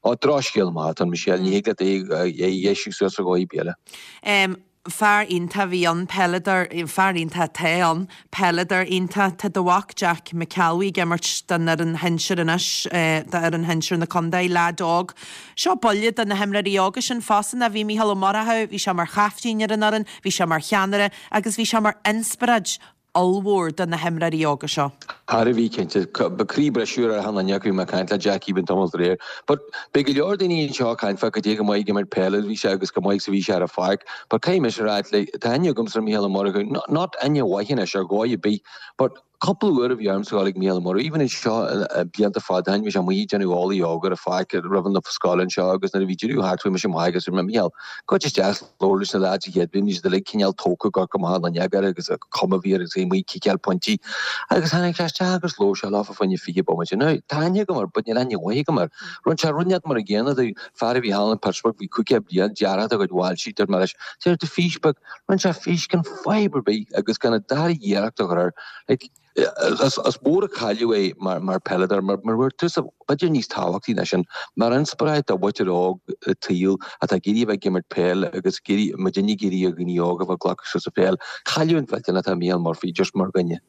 Ó, drochscéal maith atá ann, Michelle, ní thig leat é a dheisiú suas ar dhóigh ar bith eile. Fear iontach a bhí ann, peileadóir, fear iontach atá ann, peileadóir iontach. Tá do mhac Jack McElwee ag imirt don fhoireann shinsir anois, d'fhoireann shinsir na contae, leaid óg. Seo buille do na himreoirí óga sin fosta, ná bhí Mícheál Ó Murchú, bhí sé mar chaiftín ar an fhoireann, bhí sé mar cheannaire agus bhí sé mar inspioráid ollmhór do na himreoirí óga seo. Thar a bheith cinnte. Ba croí briseadh ar achan duine acu, bhí mé ag caint le Jackie Bn tamall aréir. But beidh go leor daoine anseo ag caint fá cad é go maith ag imirt peile a bhí sé agus go maith is a bhí sé ar an pháirc. But caithfidh mise a rá like tá aithne agamsa ar Mhícheál Ó Murchú, not not aithne mhaith anois ar dhóigh ar bith, but cúpla uair a bhí ormsa dul ag Mícheál Ó Murchú, even anseo blianta fada ó shin bhí sé amuigh ag déanamh eolaí óg ar an pháirc roimh an scoil anseo agus nuair a bhí deireadh thart chuaigh mise amach agus dúirt mé Mícheál, gabh isteach labhair leis na lads a chéad bhliain, bhí siad uilig cineál tógtha ag amharc amach an fhuinneog air agus an chuma a bhí air agus é amuigh ag ciceáil pointí agus tháinig sé isteach agus labhair sé leofa fá choinne fiche bomaite. Now, tá aithne agam air but níl aithne mhaith agam air. Rinne sé rud inteacht mar an gcéanna do fear a bhí thall in Pittsburgh, bhí caoga bliain, deartháir dá chuid bhaill dúirt mé leis, déan do fís beag, rinne sé fís gan fadhb ar bith agus gan an dara iarracht a chur air. Like, is mór an cailleadh é mar mar peileadóir, mar mar bhfuair tusa, b'fhéidir níos tábhachtaí ná sin, mar inspioráid do mhuintir óg an tsaoil atá ag iarraidh a bheith ag imirt peil agus ag iarraidh, muidinne ag iarraidh ar dhaoine óga a bheith ag glacadh suas an pheil. Cailliúint mhillteanach atá i Mícheál Murphy just mar dhuine.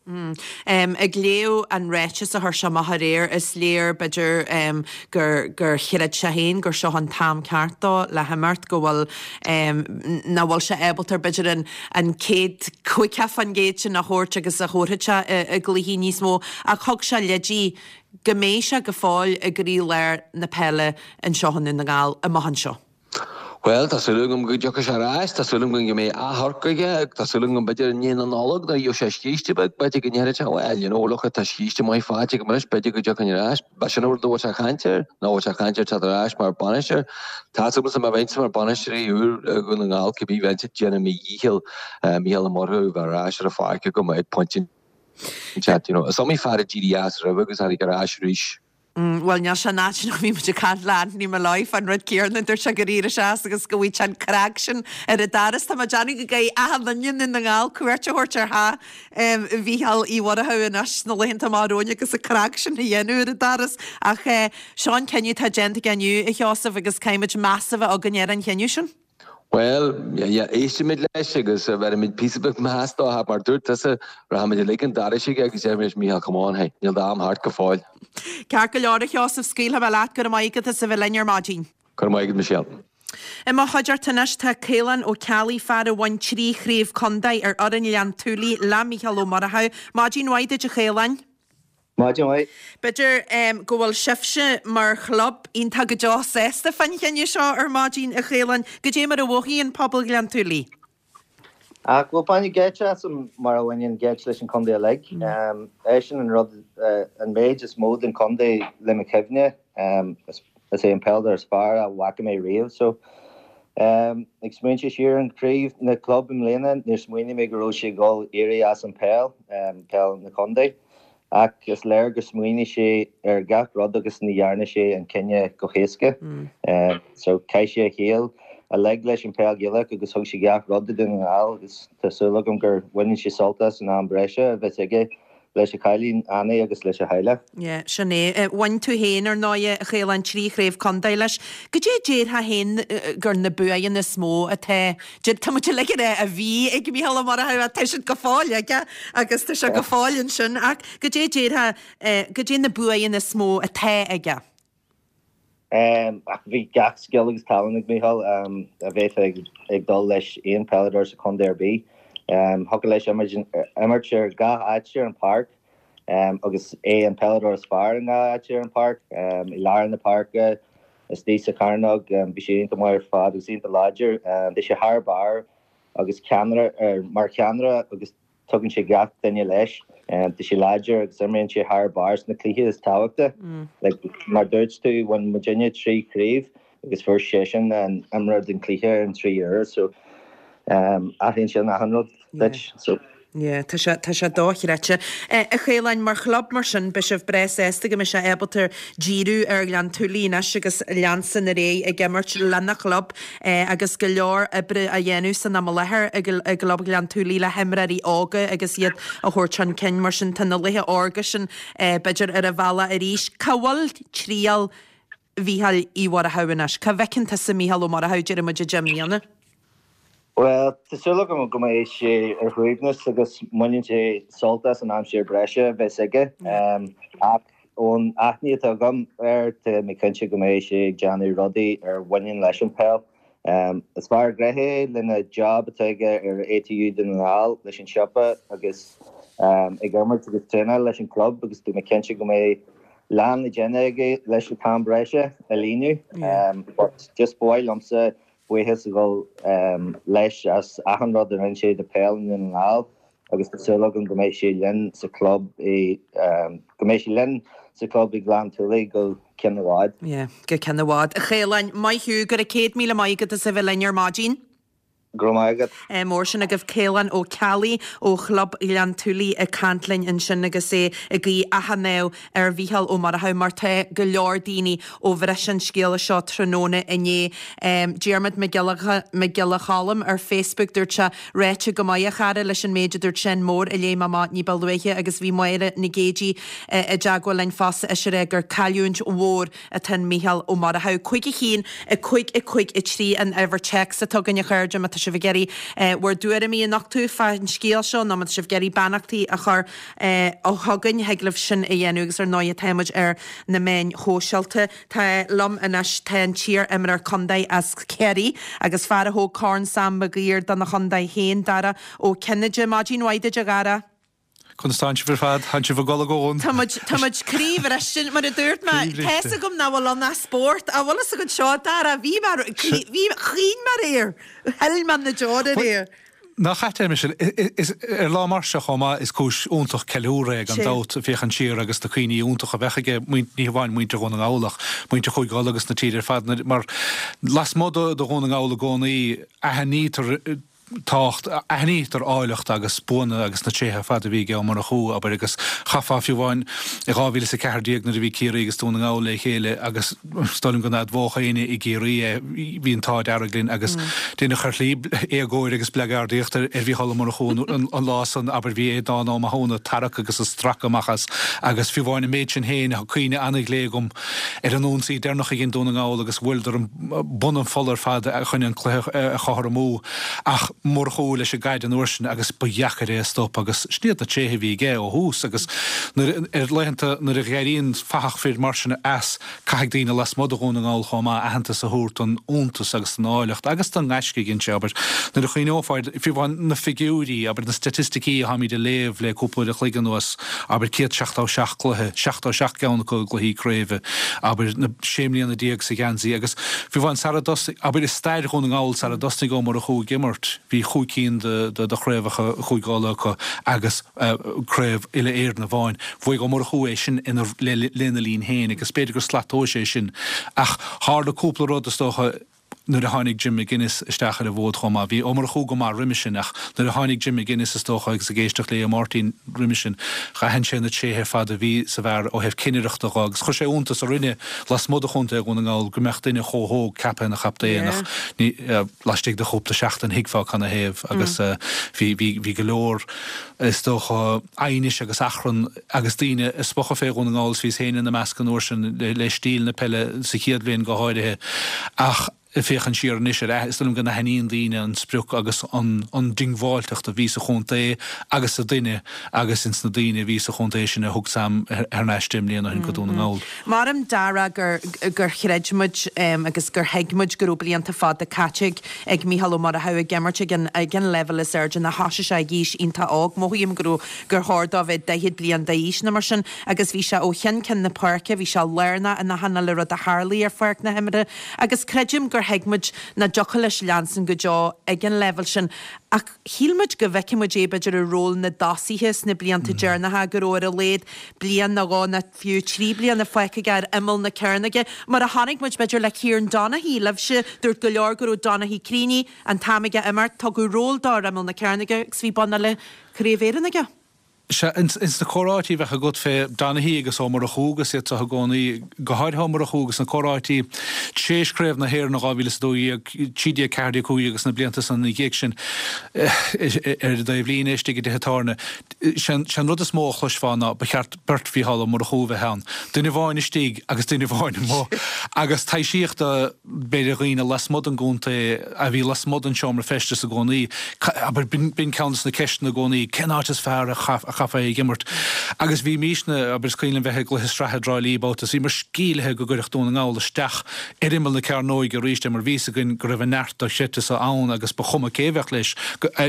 Ag léamh an ráiteas a chuir sé amach aréir, is léir, b'fhéidir, gur gur chreid sé féin gur seo an t-am ceart dó le himeacht, go bhfuil, nach bhfuil sé ábalta, b'fhéidir, an an céad caoga faoin gcéad sin a thabhairt agus a thabharfadh sé i gcluichí níos mó ach thug sé leidí go mbeidh sé go fóill i gcroílár na peile anseo i nDún na nGall amach anseo. Bhuel, tá súil agam go dtiocfaidh sé ar ais, tá súil agam go mbeidh amharc aige, tá súil agam b'fhéidir i ndiaidh na Nollag nuair a gheobhaidh sé scíste beag, b'fhéidir go ndéarfaidh sé, well, you know, look, tá scíste maith faighte agam anois, b'fhéidir go dtiocfainn ar ais. B'é sin an rud a bhfuil sé ag caint air, nó bhfuil sé ag caint ar teacht ar ais mar bhainisteoir. Tá súil agamsa má bheinnse mar bhainisteoir úr i Dhún na nGall, cibé bheinnse ag déanamh mo dhícheall Mícheál Ó Murchú a bheith ar ais ar an pháirc agam ag pointe inteacht, you know. Is iomaí fear a d'éirigh as roimhe agus a tháinig ar ais arís. Bhuel, níl sé in áit nach bhí muid ag caint le Anthony Molloy fán rud céanna, dúirt sé gur éirigh sé as agus go bhfaighidh sé an craic sin ar an doras. Tá mé ag déanamh go gcaithfidh achan duine i nDún na nGall cuairt a thabhairt ar theach Mhícheál Uí Mhurchú anois sna laethanta amach romhainn agus an craic sin a dhéanamh ar an doras. Ach seo an cinneadh atá déanta aige inniu, a Sheosaimh, agus caithfidh muid meas a bheith againn ar an chinneadh sin. Bhuel, yeah, éistfimid leis agus bheirfimid píosa beag meas dó, mar dúirt tusa, rachaimid uilig chun an dorais aige agus déarfaimid leis, Mícheál, come on, hey, níl d'am thart go fóill. Ceart go leor, a Sheosaimh, scaoilfidh mé leat, go raibh maith agat as a bheith linn ar maidin. Go raibh maith agat, Michelle. I mo chuideachta anois tá Caolán Ó Ceallaigh, fear a bhain trí chraobh contae ar fhoireann Ghleann tSúilí le Mícheál Ó Murchú. Maidin mhaith duit, a Chaoláin. Maidin mhaith. B'fhéidir go bhfuil sibhse mar chlub iontach go deo sásta fán chinneadh seo ar maidin, a Chaoláin. Goidé mar a mhothaíonn pobal Ghleann tSúilí? Ach bhuel, baineadh geit asam mar a bhaineann geit leis an chontae uilig. Eisean an rud, an méid is mó den chontae le mo chuimhne. Is é an peileadóir is fearr a bhfaca mé riamh. So, ag smaointiú siar ar an chraobh na club i mbliana, níor smaoinigh mé go raibh sé ag dul éirí as an peil, peil na contae. Ach is léir gur smaoinigh sé ar gach rud agus ní dhearna sé an cinneadh go héasca. So chaith sé a shaol uilig leis an peil Ghaelach agus thug sé gach rud do Dhún na nGall agus tá súil agam gur bhaineann sé sult as an am breise a bheas aige leis a chailín Annie agus leis a theaghlach. Yeah, sin é. Bhain tú féin, ar ndóighe, a Chaoláin, trí chraobh contae leis. Goidé a déarfá féin gur na buanna is mó atá Tá muid uilig ag rá a bhí ag Mícheál Ó Murchú ach tá siad go fóill aige agus tá sé go fóill ansin ach goidé a déarfá, goidé na buanna is mó atá aige? Ach bhí gach scil agus tallann ag Mícheál a bheifeá ag dul leis aon peileadóir sa chontae ar bith. Thiocfadh leis imirt ar gach áit ar an pháirc agus é an peileadóir is fearr i ngach áit ar an pháirc, i lár na páirce, istigh sa chearnóg. Bhí sé iontach maith ar fad agus iontach láidir. Bhí sé thar barr agus ceannaire mar cheannaire agus tugann sé gach duine leis. Tá sé láidir agus imríonn sé thar barr sna cluichí is tábhachta. Like, mar dúirt tú, bhain muidinne trí chraobh agus fuair seisean an imreoir den chluiche ar an trí uair so athraíonn sin achan rud duit. So. Yeah, tá sé, tá sé dochreidte. A Chaoláin, mar chlub mar sin, beidh sibh breá sásta go mbeidh sé ábalta díriú ar Ghleann tSúilí anois agus leanstan ar aghaidh ag imirt lena chlub agus go leor oibre á dhéanamh san am i láthair i gclub Ghleann tSúilí le himreoirí óga agus iad a thabhairt chun cinn. Mar sin, tá na laetha órga sin b'fhéidir ar a bhealach arís. Cá bhfuil triall Mhícheáil Uí Mhurchú anois? Cá bhfeiceann tusa Mícheál Ó Murchú, déarfaidh muid i deich mbliana? Bhuel, tá súil agam go mbeidh sé ar shuaimhneas agus mbaineann sé sult as an aimsir breise a bheas aige. Ach ón aithne atá agam air, tá mé cinnte go mbeidh sé ag déanamh rudaí ar bhaineann leis an peil. Is fear gnoitheach é lena job atá aige ar ATU Dún na nGall leis an siopa agus ag imirt agus traenáil leis an club agus tá mé cinnte go mbeidh lán le déanamh aige leis an t-am breise a líonadh. But just ba mhaith liomsa buíochas a dhul leis as achan rud a rinne sé do peil i nDún na nGall agus tá súil agam go mbeidh sé linn sa chlub i go mbeidh sé linn sa chlub i nGleann tSúilí go ceann i bhfad. Yeah, go ceann i bhfad. A Chaoláin, maith thú, go raibh céad míle maith agat as a bheith linn ar maidin. Go raibh maith agat. Mór sin agaibh Caolán Ó Ceallaigh ó Chlub Ghleann tSúilí ag caint linn ansin agus é ag guí achan ádh ar Mhícheál Ó Murchú mar tá go leor daoine ó bhris an scéala seo tráthnóna inné. Diarmuid Mac Giolla Choilm ar Facebook dúirt sé, Ráite go maith a chara leis an méid a dúirt Seán Mór a léigh mé amach ní ba luaithe agus bhí Máire Nic Géidigh i dteagmháil linn fosta ise ag rá gur cailliúint mhór atá in Mícheál Ó Murchú. Cúig a haon, a cúig, a cúig, a trí an uimhir téacs atá againn a chairde má tá sibh ag iarraidh bhur dtuairimí a nochtadh fán scéal seo nó má tá sibh ag iarraidh beannachtaí a chur chugainn thig libh sin a dhéanamh agus ar ndóigh tá muid ar na meáin shóisialta. Tá liom anois tá an t-iar-imreoir contae as Ciarraí agus fear a thóg Corn Sam Maguire dona chontae féin, Dara Ó Cinnéide. Maidin mhaith duit a Dhara. Conas tánn sibh ar fad? Tánn sibh ag gol ag ón. Tá muid tá muid croíbhriste mar a dúirt mé. Croíbhriste. Tá's agam nach bhfuil ann ach spórt. An bhfuil fhios agat seo, Dara, bhí mé bhí chaoin mé aréir. Shil mé na deora aréir. Nach ait é Michelle, is ar lá mar seo chomh maith is cúis iontach ceiliúradh é gan Sin. dabht féachaint siar agus na cuimhní iontacha a bheadh aige ní hamháin muintir Dhún na nGall ach muintir Chúige Uladh agus na tíre ar fad mar lasmuigh de Dhún na nGall i gcónaí aithnítear tábhacht, aithnítear áilleacht agus buanna agus na tréithe ar fad a bhí ag Ó Murchú, abair, agus chaithfeá fiú amháin i dhá mhíle is a ceathair déag nuair a bhí Ciarraí agus Dún na nGall le chéile agus is dóigh liom go n-admhódh éinne i gCiarraí é, bhí an t-ádh dearg linn agus deineadh ar shlí éagóir agus bleagardaíocht ar Mhícheál Ó Murchú an lá san, abair, bhí Aodán Ó Mathúna ag tarrac agus ag stracadh amach as agus fiú amháin an méid sin féin, tá cuimhne an-ghlé agam ar an ionsaí deireanach a dhein Dún na nGall agus bhuaileadar bun an pholla ar fad chun an cluiche a chothromú ach Murchú leis an gcaid an uair sin agus ba dheacair é a stop agus sin iad na tréithe a bhí aige ó thús agus nuair, ar laethanta nuair a dh'éiríonn fathach fir mar sin as, caithfidh daoine lasmuigh de Dhún na nGall chomh maith aitheantas a thabhairt don fhiúntas agus don áilleacht agus don ngaisce a dhein sé, abair, nuair a chuimhneofá ar, fiú amháin na figiúirí, abair, na staitisticí atáimid a léamh le cúpla uair a chloig anuas, abair, céad seachtó seacht cluiche, seachtó seacht gceann acu i gcluichí craoibhe, abair, na sé mbliana déag sa gheansaí agus fiú amháin sara dtosnaigh, abair, i stair Dhún na nGall sara dtosnaigh Ó Murchú ag imirt, bhí chúig cinn de de chraobhacha Chúige Uladh acu agus craobh uile-Éireann amháin. Bhuaigh Ó Murchú é sin ina lena linn féin agus b'fhéidir gur slat tomhais é sin ach tharla cúpla rud is dócha nuair a tháinig Jim McGuinness isteach ar an bhfód chomh maith. Bhí Ó Murchú go maith roimhe sin ach nuair a tháinig Jim McGuinness is dócha agus ag éisteacht le Máirtín roimhe sin, d'aithin sé na tréithe ar fad a bhí sa bhfear ó thaobh cinnireachta dho agus chuir sé iontas orainne lasmuigh de chontae Dhún na nGall go mbeadh duine chomh hóg ceaptha ina chaptaen ach ní laistigh de chúpla seachtain thuigfeá canathaobh agus bhí bhí bhí go leor is dócha aighnis agus achrann agus daoine ag spochadh fé Dhún na nGall is bhíos féin ina measc an uair sin le le stíl na peile sa chéad bhliain go háirithe ach ag féachaint siar anois ar, is dóigh liom go n-aithníonn daoine an sprioc agus an an diongbháilteacht a bhí sa chontae agus sa duine agus ins na daoine a bhí sa chontae sin a thug Sam thar n-ais deich mbliana ó shin go Dún na nGall. Maram Dara gur gur chreid muid agus gur thuig muid go raibh blianta fada caite ag Mícheál Ó Murchú ag imirt ag an ag an leibhéal is airde nach thosaigh sé ag aois iontach óg. Mothaím go raibh gur chóir dó bheith daichead bliain d'aois nó mar sin agus bhí sé ó cheann ceann na páirce, bhí sé lárnach in achan uile rud a tharlaigh ar pháirc na himeartha agus creidim gur thuig muid nach dtiocfadh leis leanstan go deo ag an leibhéal sin ach shíl muid go bhfeicfeadh muid é b'fhéidir i ról na dtosaithe sna blianta deireanacha, go raibh ar a laghad bliain nó dhó nó fiú trí bliana fágtha aige ar imeall na cearnóige, mar a chonaic muid b'fhéidir le Kieran Donaghy, libhse, dúirt go leor go raibh Donaghy críonnaithe, an t-am aige imirt, tugadh ról dó ar imeall na cearnóige agus bhí bonn uile Chraobh Éireann aige. Sea, ins na comhráití a bheadh agat fé Donaghy agus Ó Murchú agus iad seo i gcónaí, go háirithe Ó Murchú agus na comhráití tréis Craobh na hÉireann in dhá mhíle is a dó dhéag, trí déag, ceathair déag, cúig déag agus na blianta san ina dhiaidh sin ar an dtaobhlíne istigh i dtithe tábhairne, sé an rud is mó a chloisfeá ná ba cheart beirt Mhícheál Ó Murchú a bheith ann, duine amháin istigh agus duine amháin amuigh. Agus taibhsíodh do, b'fhéidir, dhaoine lasmuigh den gcontae a bhí lasmuigh den seomra feistis i gcónaí, abair, b'in ceann des na ceisteanna i gcónaí, cén áit is fearr a chaithfeá ag imirt? Agus bhímisne, abair, is cuimhin liom bheith i gcluiche sraithe i dTrá Lí babhta is bhíomar sceimhlithe go gcuirfeadh Dún na nGall isteach ar imeall na cearnóige arís é mar bhí 'fhios againn go raibh an neart dochreidte so ann agus ba chuma cé a bheadh leis,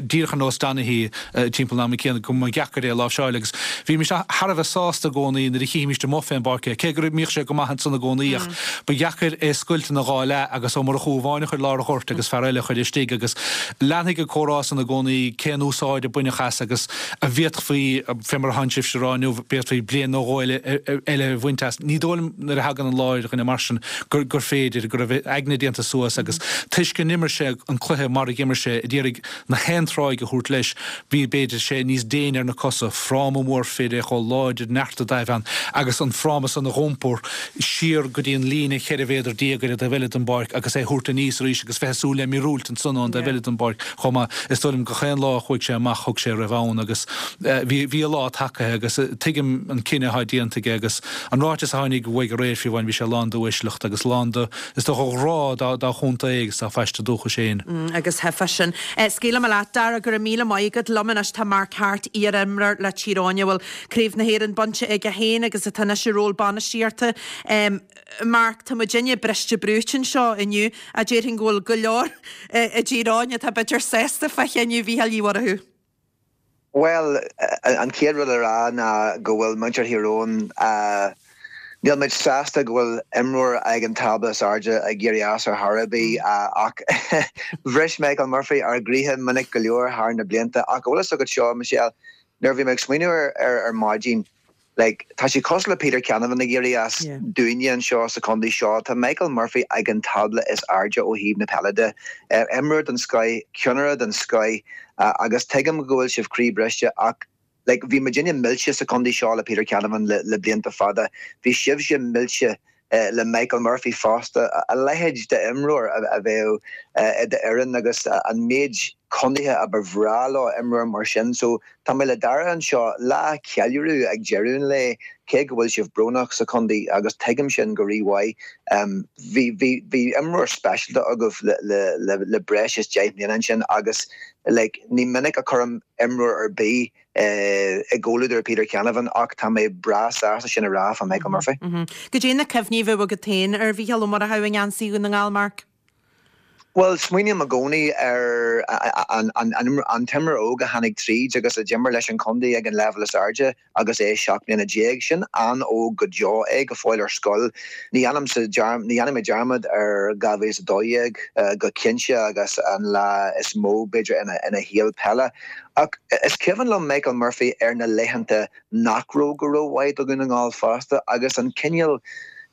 díreach ar nós Donaghy timpeall an ama céanna, go mba dheacair é a láimhseáil agus bhímis thar a bheith sásta i gcónaí nuair a chífimíst amuigh fén bpáirc é, cé go mbíodh sé go maith ansan i gcónaí ach ba dheacair é a scoilt ina dhá leath agus Ó Murchú amháin a chur i lár an ghoirt agus fear eile a chur istigh agus leanfaidh an comhrá san i gcónaí cén úsáid a baineadh as agus an bhféadfaí, fé mar atánn sibhse a rá inniu, bhféadfaí bliain nó dhó eile eile a bhaint as. Ní dóigh liom nuair a thagann an lá ar dhuine mar sin gur gur féidir, go raibh a aigne déanta suas agus toisc go n-imir sé an cluiche mar a dh'imir sé, a d'iarraidh na haon tráigh a thabhairt leis, bhí, b'fhéidir, sé níos déine ar na cosa, fráma mór fir é chomh láidir, neart i dtaobh ann agus an fráma san a dh'iompar siar go dtí an líne cheithre mhéadar déag ar an dtaobh eile den bpáirc agus é thabhairt aníos arís agus bheith ag súil le míorúilt ansan ón dtaobh eile den bpáirc chomh maith. Is dóigh liom gach aon lá a chuaigh sé amach thug sé a raibh ann agus bhí, bhí a lá tagaithe agus tuigim an cinneadh atá déanta aige agus an ráiteas a tháinig uaidh aréir fiú amháin bhí sé lán d'uaisleacht agus lán de, is dócha, ghrá dá, dá chontae agus dá phaiste dúchais féin. Agus thuigfeá sin. Scaoilfidh mé leat, Dara, go raibh míle maith agat. Liom anois tá Mark Harte, iar-imreoir le Tír Eoghain a bhfuil Craobh na hÉireann bainte aige féin agus atá anois i ról bainistíochta. Mark, tá muidinne briste brúite anseo inniu ach déarfainn go bhfuil go leor i dTír Eoghain atá b'fhéidir sásta fá chinneadh Mhícheáil Uí Mhurchú. Bhuel, an chéad rud le rá ná go bhfuil muintir Thír Eoghain, níl muid sásta go bhfuil imreoir ag an tábla is airde ag éirí as ar chor ar bith ach bhris Michael Murphy ár gcroíthe minic go leor thar na blianta ach an bhfuil fhios agat seo, Michelle, nuair a bhí mé ag smaoineamh ar ar maidin, like, tá sé cosúil le Peter Canavan ag éirí as dúinne anseo sa chontae seo, tá Michael Murphy ag an tábla is airde ó thaobh na peile de. Imreoir den scoith, ceannaire den scoith agus tuigim go bhfuil sibh croíbhriste ach like, bhí muidinne millte sa chontae seo le Peter Canavan le, le blianta fada. Bhí sibhse millte le Michael Murphy fosta, a leithéid d'imreoir a bheadh i d'fhoireann agus an méid contaetha a ba bhreá leo imreoir mar sin. So tá mé le Dara anseo, lá ceiliúradh ag deireadh an lae, cé go bhfuil sibh brónach sa chontae agus tuigim sin go rímhaith. Bhí bhí bhí imreoir speisialta agaibh le le le le breis is deich mbliana ansin agus like ní minic a chuirim imreoir ar bith i gcomhluadar Peter Canavan ach tá mé breá sásta sin a rá fá Michael Murphy. Goidé na cuimhní a bheadh agat féin ar Mhícheál Ó Murchú i ngeansaí Dhún na nGall, Mark? Bhuel, smaoiním i gcónaí ar an an t-imreoir óg a tháinig tríd agus a d'imir leis an chontae ag an leibhéal is airde agus é seacht mbliana déag. Sin an-óg go deo é go fóill ar scoil. Ní dhéanaimse ní dhéanfaidh mé dearmad ar dhá mhíle is a dó dhéag go cinnte agus an lá is mó b'fhéidir ina ina shaol peile. Ach is cuimhin liom Michael Murphy ar na laethanta nach raibh go rómhaith do Dhún na nGall fosta agus an cineál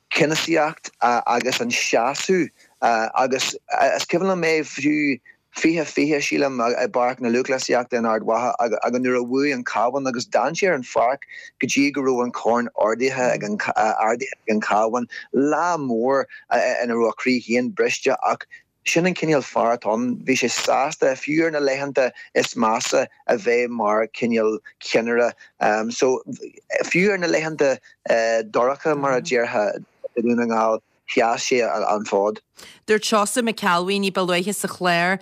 ceannasaíocht agus an seasamh agus is cuimhin liom é fiú fiche fiche, sílim, i bPáirc na Lúthchleasaíochta in Ard Mhacha agus nuair a bhuaigh an Cabhán agus d'fhan sé ar an pháirc go dtí go raibh an corn ardaithe ag an ardaithe ag an Cabhán. Lá mór ina raibh a chroí féin briste ach sin an cineál fear atá ann. Bhí sé sásta, fiú ar na laethanta is measa, a bheith mar cineál ceannaire. So fiú ar na laethanta dorcha, mar a déarfá, i Dún na nGall, sheas sé an fód. Dúirt Seosamh McElwee ní ba luaithe sa chlár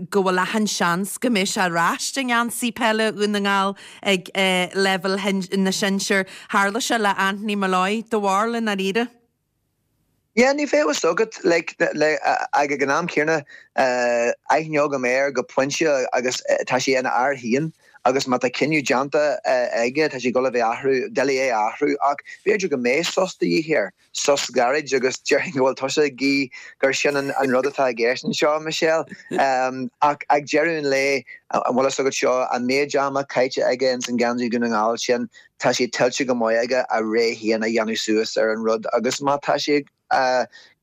go bhfuil achan seans go mbeidh sé ar ais i ngeansaí peile Dhún na nGall ag leibhéal na sinsear. Tharla sé le Anthony Molloy. Do bharúil i ndáiríre? Yeah, ní bheadh fhios agat, like, le, ag an am céanna, aithne agam air go pointe agus tá sé ina fhear féin agus má tá cinneadh déanta aige, tá sé ag dul a bheith athrú, doiligh é a athrú ach b'fhéidir go mbeidh sos de dhíth air, sos gairid agus déarfainn go bhfuil tusa ag guí gur sin an rud atá i gceist anseo, Michelle. Ach ag deireadh an lae, an bhfuil fhios agat seo, an méid ama caite aige ins an gheansaí Dhún na nGall sin, tá sé tuillte go maith aige a rogha féin a dhéanamh suas ar an rud agus má tá sé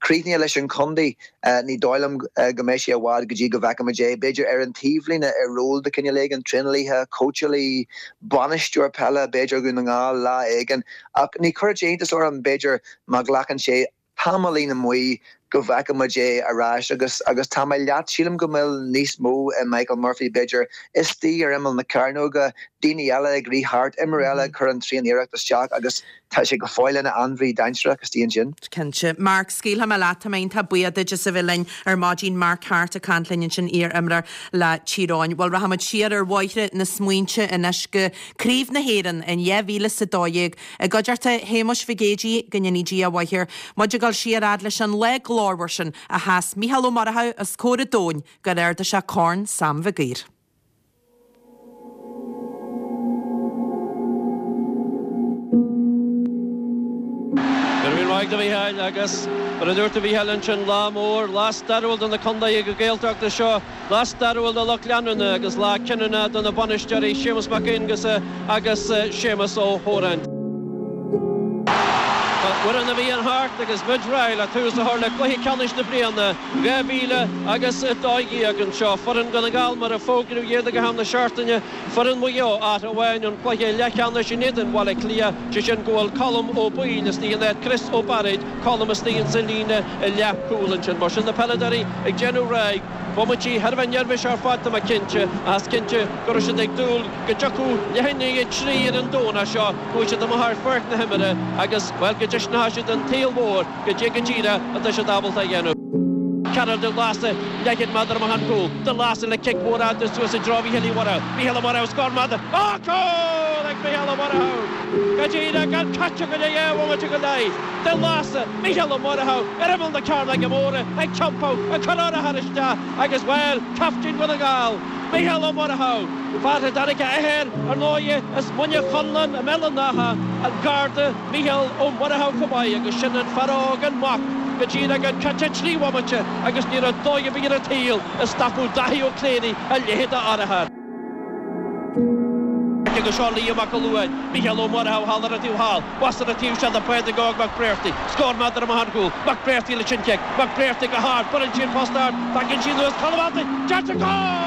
críochnaithe leis an chontae, ní dóigh liom go mbeidh sé i bhfad go dtí go bhfeicfimid é, b'fhéidir ar an taobhlíne i ról de chineál éigin, traenálaithe, cóitseálaí, bainisteoir peile, b'fhéidir Dhún na nGall lá éigin. Ach ní chuirfeadh sé iontas orm, b'fhéidir, má ghlacann sé tamaillín amuigh go bhfeicfimid é ar ais agus agus tá mé leat, sílim go bhfuil níos mó i Michael Murphy b'fhéidir, istigh ar imeall na cearnóige, daoine eile ag rith thart, imreoir eile ag cur an tréan-iarracht isteach agus tá sé go fóill ina ainmhí dainséarach istigh ansin. Cinnte. Mark, scaoilfidh mé leat, tá mé iontach buíoch duit as a bheith linn ar maidin, Mark Harte ag caint linn ansin, iar-imreoir le Tír Eoghain. Bhuel, rachaimid siar ar bhóithre na smaointe anois go Craobh na hÉireann in dhá mhíle is a dó dhéag i gcuideachta Shéamuis Mhig Éadaigh, go ndéanaí Dia a mhaith air. Muid ag dul siar fhad leis an lá glórmhar sin a sheas Mícheál Ó Murchú os comhair an domhain gur ardaigh sé Corn Sam Mhig Uidhir. Go raibh míle maith agat a Mhícheáil agus mar a dúirt a Mhícheáil ansin, lá mór, lá stairiúil do na contaetha Gaeltachta seo. Lá stairiúil do lucht leanúna agus lá cinniúna do na bainisteoirí Séamus Mac Aonghusa agus Séamus Ó hÓráin. Tá uair na bhFiann thart agus muid réidh le tús a chur le cluiche ceannais na bliana dhá mhíle agus a dó dhéag anseo. Foireann Dhún na nGall mar a fógraíodh iad ag am na seachtaine, foireann Mhaigh Eo áit amháin an cluiche leathcheannais in éadan Bhaile Átha Cliath, sé sin go bhfuil Colm Ó Baoill istigh in áit Chris Ó Bairéid, Colm istigh insa líne leathchúil ansin. Mar sin na peileadóirí ag déanamh réidh. Bomaití thar a bheith neirbhíseach ar fad tá mé cinnte, ach is cinnte go raibh siad ag dúil go dtiocfadh leath i ndiaidh a trí ar an Domhnach seo, go bhfuil siad amuigh ar pháirc na himeartha agus, bhuel, go dtaispeánfadh siad don tsaol mhór goidé go díreach atá siad ábalta a dhéanamh. Cearbhall De Lása, leathchéad méadar amach ón gcúl. De Lása le cic mhór fhada suas i dtreo Mhícheál Uí Mhurchú. Mícheál Ó Murchú, scór maith. Ó, cúl ag Mícheál Ó Murchú! Go díreach gan caite go leith dhá bhomaite go leith. De Lása, Mícheál Ó Murchú ar imeall na cearnóige móire ag tiompú, ag cur urchar isteach agus, bhuel, caiftín Dhún na nGall, Mícheál Ó Murchú, Fear a dtáinig a athair, ar ndóighe, as Muine Chonlann i mBéal an Átha, an Garda Mícheál Ó Muireadhaigh chomh maith agus sin an fear óg, an mac, go díreach an caite trí bhomaite agus ní raibh dóigh ar bith ar an tsaol a stopfadh Daithí Ó Cléirigh a leithéid d'fhear. Agus seo Liam Mac Luain, Mícheál Ó Muireadhaigh thall ar an taobh thall, bhas ar an taobh seo do Phádraig Óg Mac Bréartaigh, scór méadar amach ón gcúl, Mac Bréartaigh leis an chic, Mac Bréartaigh go hard, buaileann sí an post ard, tagann sí anuas, Colm Antain, deirtear cúl!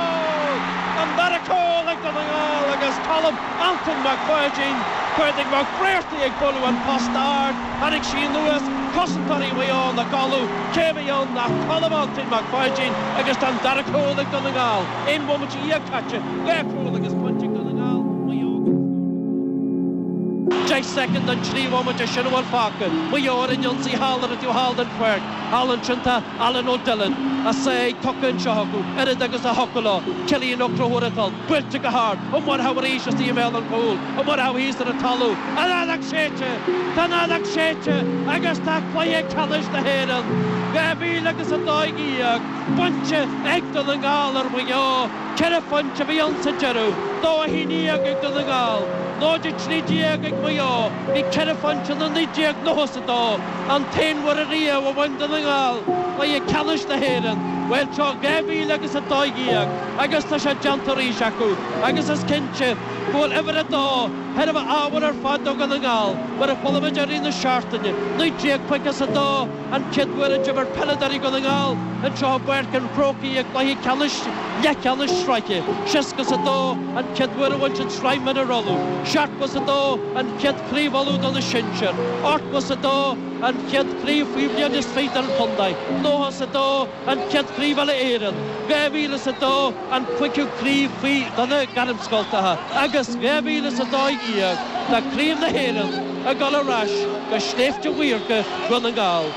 An dara cúl ag Dún na nGall agus Colm Antain Mac Pháidín, Pádraig Mac Bréartaigh ag bualadh an post ard, tháinig sí anuas, cosantóirí Mhaigh Eo ina gcodladh, cé a bhí ann ach Colm Antain Mac Pháidín agus tá an dara cúl ag Dún na nGall, aon bhomaite dhéag caite, dhá chúl agus pointe ag Dún na nGall, Maigh Eo gan scór go fóill. Deich soicind den trí bhomaite sin a bhfuil fágtha, Maigh Eo ar an ionsaí thall ar an taobh thall den pháirc, thall ansin tá Alan O'Dillon, a sáigh tugtha anseo acu, oiread agus a thiocfadh leo, Cillian Ó Conchúir atá ann, buailte go hard, Ó Muireadhaigh arís istigh i mbéal an chúil, Ó Muireadhaigh thíos ar an talamh, an fheadóg séidte! Tá an fheadóg séidte agus tá cluiche ceannais na hÉireann dhá mhíle agus a dó dhéag bainte ag Dún na nGall ar Mhaigh Eo. Ceithre phointe a bhí ann sa deireadh, dó a haon déag ag Dún na nGall, náid a trí déag ag Maigh Eo. Bhí ceithre phointe ann i naoi déag nócha is a dó, an t-aon uair ariamh a bhain Dún na nGall cluiche ceannais na hÉireann. Bhuel, seo dhá mhíle agus a dó dhéag agus tá sé déanta arís acu agus is cinnte go bhfuil uimhir a dó thar a bheith ábhar ar fad do Dhún na nGall, mar a chuala muid i rith na seachtaine, naoi déag caoga is a dó an chéad uair a d'imir peileadóirí Dhún na nGall anseo i bPáirc an Chrócaigh i gcluiche ceannais leathcheannais sraithe, seasca is a dó an chéad uair a bhain siad Sraith Mionúr Uladh, seachtó is a dó an chéad Chraobh Uladh do na sinsir, ochtó is a dó an chéad chraobh faoi bhliain is fiche don chontae, nócha is a dó an chéad chraobh Uile-Éireann, dhá mhíle is a dó an cúigiú craobh faoi do na gairmscoltacha agus dhá mhíle is a dó dhéag tá Craobh na hÉireann ag dul ar ais go Sléibhte Mhaorga Dhún na nGall.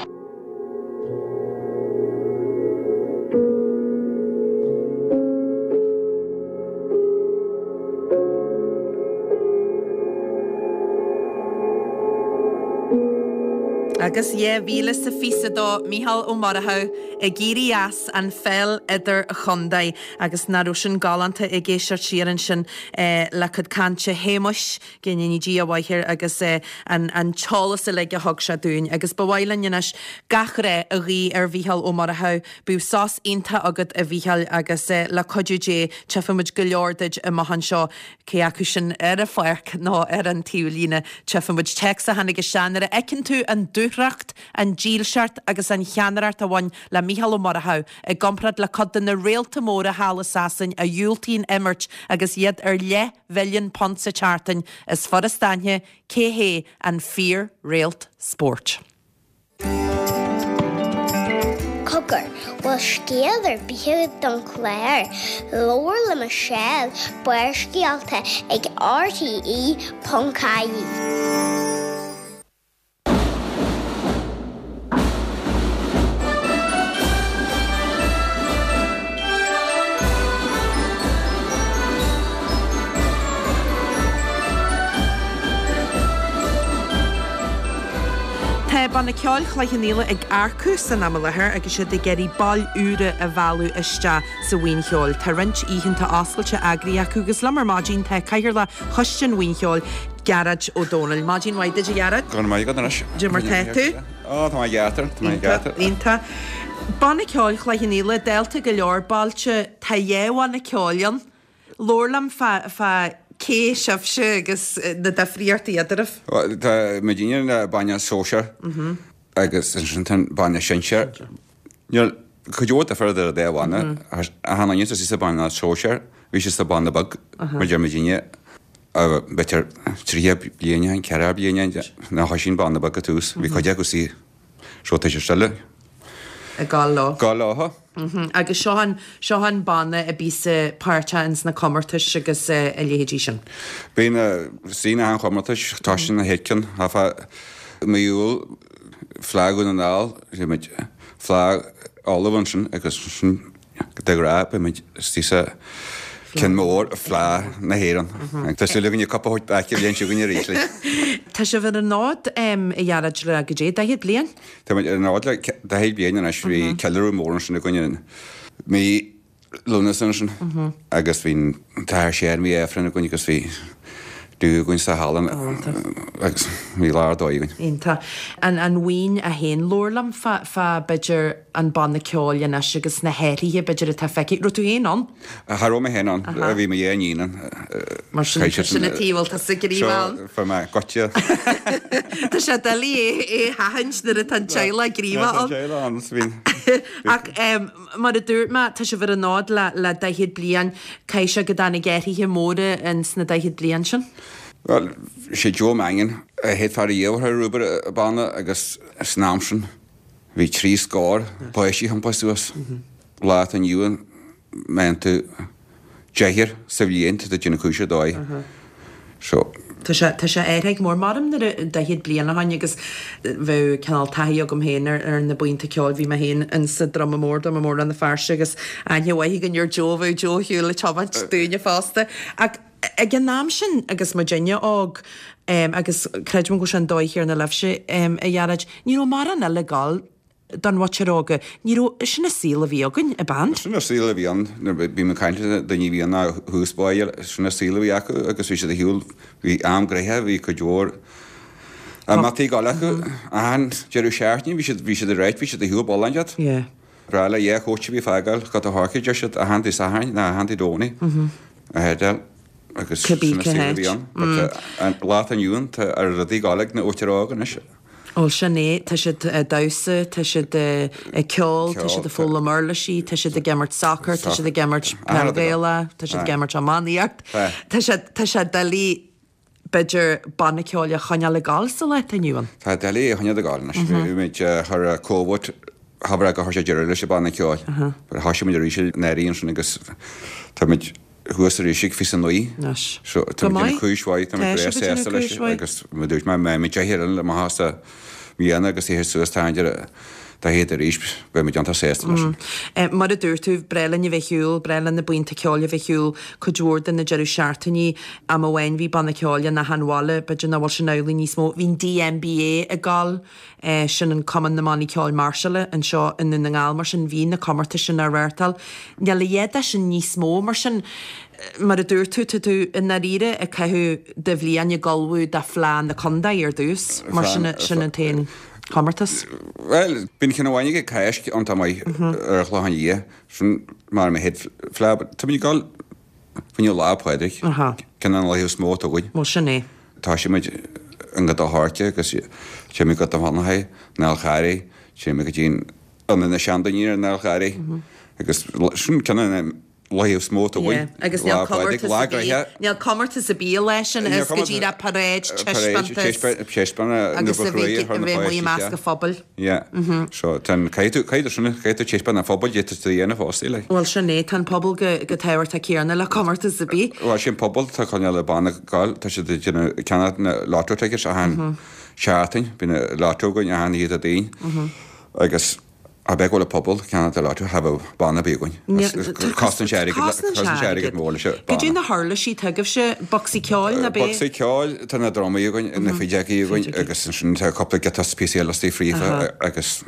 Agus dhá mhíle is a fiche a dó, Mícheál Ó Murchú ag éirí as an pheil idir-chontae agus nach raibh sin galánta ag éisteacht siar ansin le cuid cainte Shéamuis, go ndéana Dia a mhaith air agus an an t-eolas uilig a thug sé dúinn. Agus ba mhaith linn anois gach rath a ghuí ar Mhícheál Ó Murchú. Bíodh sos iontach agat a Mhícheáil agus le cuidiú Dé tchífidh muid go leor duit amach anseo, cé acu sin ar an pháirc nó ar an taobhlíne. Tchífidh muid téacs a tháinig isteach nuair a fheiceann tú an dúthracht, an dílseacht agus an cheannaireacht a bhain le Mícheál Ó Murchú i gcomparáid le cuid de na réalta móra thall i Sasain a dhiúltaíonn imirt agus iad ar leathmhilliún punt sa tseachtain, is furast aithne cé hé an fíor-réalt spóirt. Cogar, bhfuil scéal ar bith agat don chlár? Labhair le Michelle, Barrscéalta ag rte ponc ie. Tá Banna Ceoil Chloich Cheann Fhaola ag earcú san am i láthair agus iad ag iarraidh baill úra a mhealladh isteach sa bhuíon cheoil. Tá roinnt oícheanta oscailte eagraithe acu agus liom ar maidin tá Cathaoirleach Choiste an Bhuíon Cheoil, Gearóid Ó Dónaill. Maidin mhaith duit a Ghearóid. Go raibh maith agat anois. Cad é mar tá tú? Ó, tá mé i gceart, tá mé i gceart. Iontach. Banna Ceoil Chloich Cheann Fhaola, dálta go leor bailte, tá dhá bhanna ceoil ann. Labhair liom fá, fá cé sibhse agus na difríochtaí eadraibh. Bhuel, tá muidinne an banna sóisear agus ansin tá an banna sinsear. Níl cuid mhór difear idir an dá bhanna. Achan duine atá sa bhanna sóisear, bhí siad sa bhanna beag, mar deir muidinne, b'fhéidir tríocha bliain ó shin, ceathracha bliain ó shin, nuair a thoisigh an banna beag ag tús, bhí cuid acu sa so tá siad still ag gabháil leo. Gabháil leo. Agus seo an, seo an banna a bíos páirteach ins na comórtais agus a leithéidí sin. Bíonn sí na han-chomórtais, toisíonn na chéad cheann, fá mí Iúil, Fleadh Dhún na nGall, bhí muid Fleadh Uladh ansin agus ansin de ghnáth beidh muid istigh sa ceann mór, Fleadh na hÉireann. Tá súil againn an cup a thabhairt back an bhliain seo chugainn arís. Tá sibh ar an fhód, a Ghearóid, le goidé, daichead bliain? Tá muid ar an fhód le daichead bliain anois, bhí ceiliúradh mór ansin againn i mí Lúnasa ansin agus bhí an tAthair Séan, bhí Aifreann againn agus bhí dú againn sa halla agus bhí lá ar dóigh againn. Iontach. An an bhuíon í féin, labhair liom fá fá b'fhéidir an banna ceoil anois agus na hathruithe b'fhéidir atá feicthe. Raibh tú féin ann? Cha raibh mé féin ann. Bhí mo dhá iníon ann. Mar sin sin an tuige a bhfuil tusa gníomhach ann. So fuair mé goitse. Tá sé doiligh é a sheachaint nuair atá an teaghlach gníomhach ann. Tá an teaghlach ann, bhí. Ach mar a dúirt mé, tá sibh ar an fhód le le daichead bliain. Caithfidh sé go dtáinig athruithe móra ins na daichead bliain sin? Bhuel, sé Joe Mangan a chéad fear riamh a chuir obair an banna agus san am sin bhí trí scór páistí ag iompar suas. Lá atá inniu ann, meánn tú deichniúr sa bhliain tá tú ag déanamh cúis ar dóigh. So. Tá sé, tá sé athraithe go mór. Maram nuair a, daichead bliain ó shoin agus bheadh cineál taithí agam féin ar, ar na buíonta ceoil, bhí mé féin in sa Druma Mór, Druma Mór Rann na Feirste agus aithne mhaith againn ar Joe, bheadh Joe ar shiúl ag tiomáint dúinne fosta. Ach ag an am sin agus muidinne óg agus creidim go bhfuil sé an dóigh chéanna libhse, a Ghearóid, ní raibh mórán eile ag gabháil don mhuintir óga. Ní raibh, sin an saol a bhí againn, i band. Sin an saol a bhí ann, nuair a bhí mé ag caint le daoine a bhí ann thuas báire, sin an saol a bhí acu agus bhí siad ar shiúl, bhí am gnoitheach, bhí cuid mhór imeachtaí ag dul acu. Achan deireadh seachtaine bhí siad, bhí siad ag ráit, bhí siad ar shiúl bolláin iad. Breá le dhá chóiste a bhí ag fágáil go dtí Chorcaigh, deir siad, achan Dé Sathairn nó achan Dé Domhnaigh a theideal agus sin an saol a bhí ann. But an lá atá inniu ann, tá rudaí ag dul ag na mhuintir óg anois. Bhuel, sin é. Tá siad ag damhsa, tá siad ag ceol, tá siad ag foghlaim uirlisí, tá siad ag imirt sacair, tá siad ag imirt peil Ghaelach, tá siad ag imirt iománaíocht. Tá sé, tá sé doiligh, b'fhéidir, banna ceoil a choinneáil ag gabháil sa lá atá inniu ann. Tá doiligh é a choinneáil ag gabháil anois. Bhí muid, chuir Covid, chabhraigh gur chuir sé deireadh leis an banna ceoil. Thosaigh muid arís anuraidh ansin agus tá muid, thuas arís ag fiche a naoi. Anois. So, tá Go muid ag maith. déanamh cúis mhaith, tá Tá muid breá sibh ag déanamh sásta leis cúis mhaith. agus mar a dúirt mé, mbeidh muid deich ar amach as a mbliana agus théis suas tá an daichead arís, beidh muid iontach sásta leis sin. Mm. Mar a dúirt tú, breá linn a bheith ar shiúl, breá linn na buíonta ceoil a bheith ar shiúl cuid mhór de na deireadh seachtainí. Am amháin bhí banna ceoil in achan bhaile, b'fhéidir nach bhfuil sin amhlaidh níos mó. Bhí an DMBA ag gabháil Sin an Cumann na mBannaí Ceoil Máirseála anseo i nDún na nGall, mar sin bhí na comórtais sin á reáchtáil. Níl a leithéid de sin níos mó, mar sin, mar a dúirt tú, tá tú i ndáiríre ag caitheamh do bhliain ag ullmhú do Fleadh na Contae ar dtús, mar sin, sin an t-aon chomórtas. Bhuel, bíonn ceann amháin ag Cáisc iontach maith ar an Chlochán Liath, sin mar mo chéad Fleadh, but tá muid ag dul fá choinne Lá Pádraig, ceann de na laetha is mó atá againn. Bhuel, sin é. Thosaigh muid i nGort a' Choirce agus téimid go Gort an Chonchúir, an Fhál Charraigh, téimid go dtí an Ionad na Seandaoine ar an Fhál Charraigh agus sin ceann de na laetha is mó atá againn. Agus níl comórtas ar bith, níl comórtas ar bith leis sin, is go díreach paráid, taispeántas agus a bheith amuigh i measc an phobail. Yeah. So tá an, caithfidh tú, caithfidh tú sin, caithfidh tú taispeáint an phobail, d'fhéadfadh tú a dhéanamh fosta, like. Bhuel sin é, tá an pobal go, go tábhachtach céanna le comórtas ar bith. Bhuel sin pobal, tá coinneáil an banna ag gabháil, tá siad ag déanamh ceannach na lotto tickets achan seachtain, bíonn na lotto againn achan oíche Déardaoin agus a bheith go bhfuil an pobal ceannach na lotto, cha bheadh banna ar bith againn. Cosnaíonn sé airgead, cosnaíonn sé airgead mór leis an Cad é banna. na huirlisí atá agaibhse, bocsaí ceoil nó b'é? Bocsaí ceoil, tá na drumaí againn, na feadógaí againn agus ansin tá cúpla giota píosaí eile istigh fríofa agus.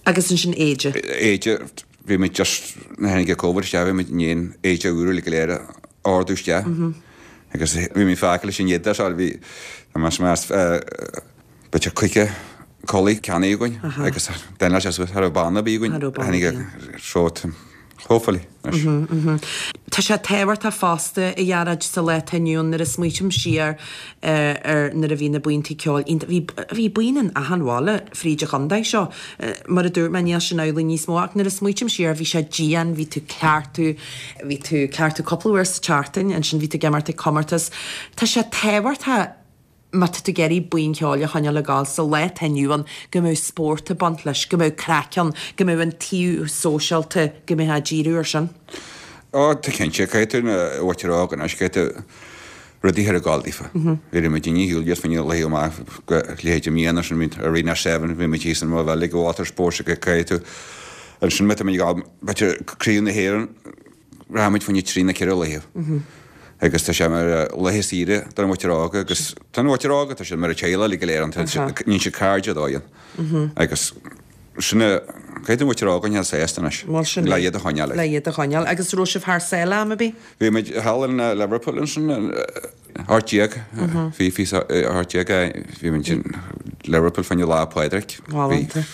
Agus ansin éide. Éide, bhí muid just, nuair a tháinig Covid isteach, bhí muid i ndiaidh éide úr uilig go léir a ordú isteach agus bhí muid fágtha leis an éadach seo, bhí, tá mé meas, b'fhéidir caoga culaith ceannaithe againn agus d'fhan sé suas, cha raibh banna ar bith againn, tháinig so hopefully anois. Tá sé tábhachtach fosta, a Ghearóid, sa lá atá inniu ann nuair a smaoitím siar ar nuair a bhí na buíonta ceoil iontach, bhí, bhí buíon in achan bhaile fríd an chontae seo. Mar a dúirt mé, níl sin amhlaidh níos mó ach nuair a smaoitím siar, bhí sé dian, bhí tú ag cleachtadh, bhí tú ag cleachtadh cúpla uair sa tseachtain, ansin bhí tú ag imirt ag comórtas. Tá sé tábhachtach má tá tú ag iarraidh buíon ceoil a choinneáil ag gabháil sa lá atá inniu ann, go mbeadh spórt ag baint leis, go mbeadh craic ann, go mbeadh an taobh sóisialta, go mbeifeá ag díriú air sin. Ó, tá cinnte, caithfidh tú na mhuintir óg anois, caithfidh tú rudaí a chur ag gabháil daofa. Bhí muid inniu shiúl just faoin laetha amach go leithéid i mbliana sin, bhí Arena Seven, bhí muid thíos in Maigh Bhile ag Water Sports agus caithfidh tú ansin má tá muid ag gabháil b'fhéidir Craobh na hÉireann, Rachaimid fá choinne trí nó ceithre laethe agus tá sé mar laethe saoire don mhuintir óg agus tá an mhuintir óg, tá siad mar a teaghlach uilig go léir ann, níonn siad cairde dóigh ann agus sin a Caithfidh an mhuintir óg a choinneáil sásta anois. Bhuel sin Le é. iad a choinneáil. Le iad a choinneáil. Agus raibh sibh thar sáile am ar bith? Bhí muid thall in Liverpool ansin, ocht déag, bhí bhí ocht déag, bhí muid in Liverpool fá choinne Lá Pádraig. Galánta.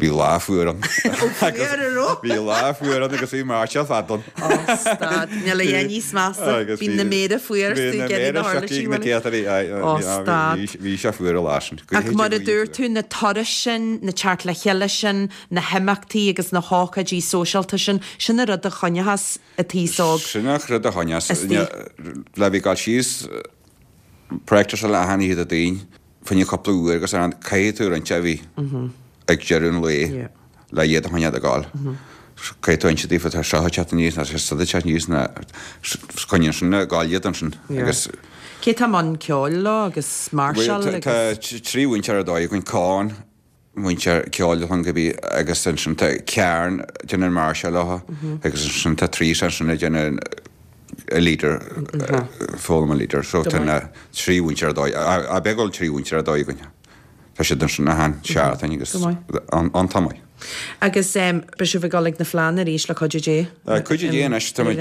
Bhí lá fuar ann. Ó fuar an raibh? Bhí lá fuar ann agus bhí máirseáil fada ann. Ó stad, níl a dhath níos measa. Agus Bíonn na méara fuar is bhí tú na ag iarraidh méara na huirlisí siocaí ag na uilig. céatairí, aye, Ó bhí stad. bhí sé fuar an lá sin. Ach mar a dúirt tú, na turais sin, na teacht le chéile sin, na himeachtaí agus na hócáidí sóisialta sin, sin an rud a choinneochas an t-aos óg. Sin an rud a choinneos. Istigh. Le bhí gabháil síos practice le achan oíche Déardaoin, fá choinne cúpla uair agus ar an caithfidh tú roinnt a bhí ag deireadh an lae le iad a choinneáil ag gabháil. Caithfidh tú inse daofa tá seo ag teacht aníos nó tá siúd ag teacht aníos nó coinníonn sin ag gabháil iad ansin agus Cé tá i mbun ceoil leo agus máirseáil Bhuel, tá agus trí mhúinteoir ar dóigh againn, Con, múinteoir ceoil chun go bí agus ansin tá Karen ag déanamh an máirseáil leo agus ansin tá Teresa ansin ag déanamh a leader, foghlaim an leader. So tá na trí mhúinteoir ar dóigh, a beag trí mhúinteoir ar dóigh againn. Tá siad ansin achan seachtain agus Go maith. an t-am maith. Agus beidh sibh ag dul ag na Fleánna arís le cuidiú Dé? Cuidiú Dé anois, tá muid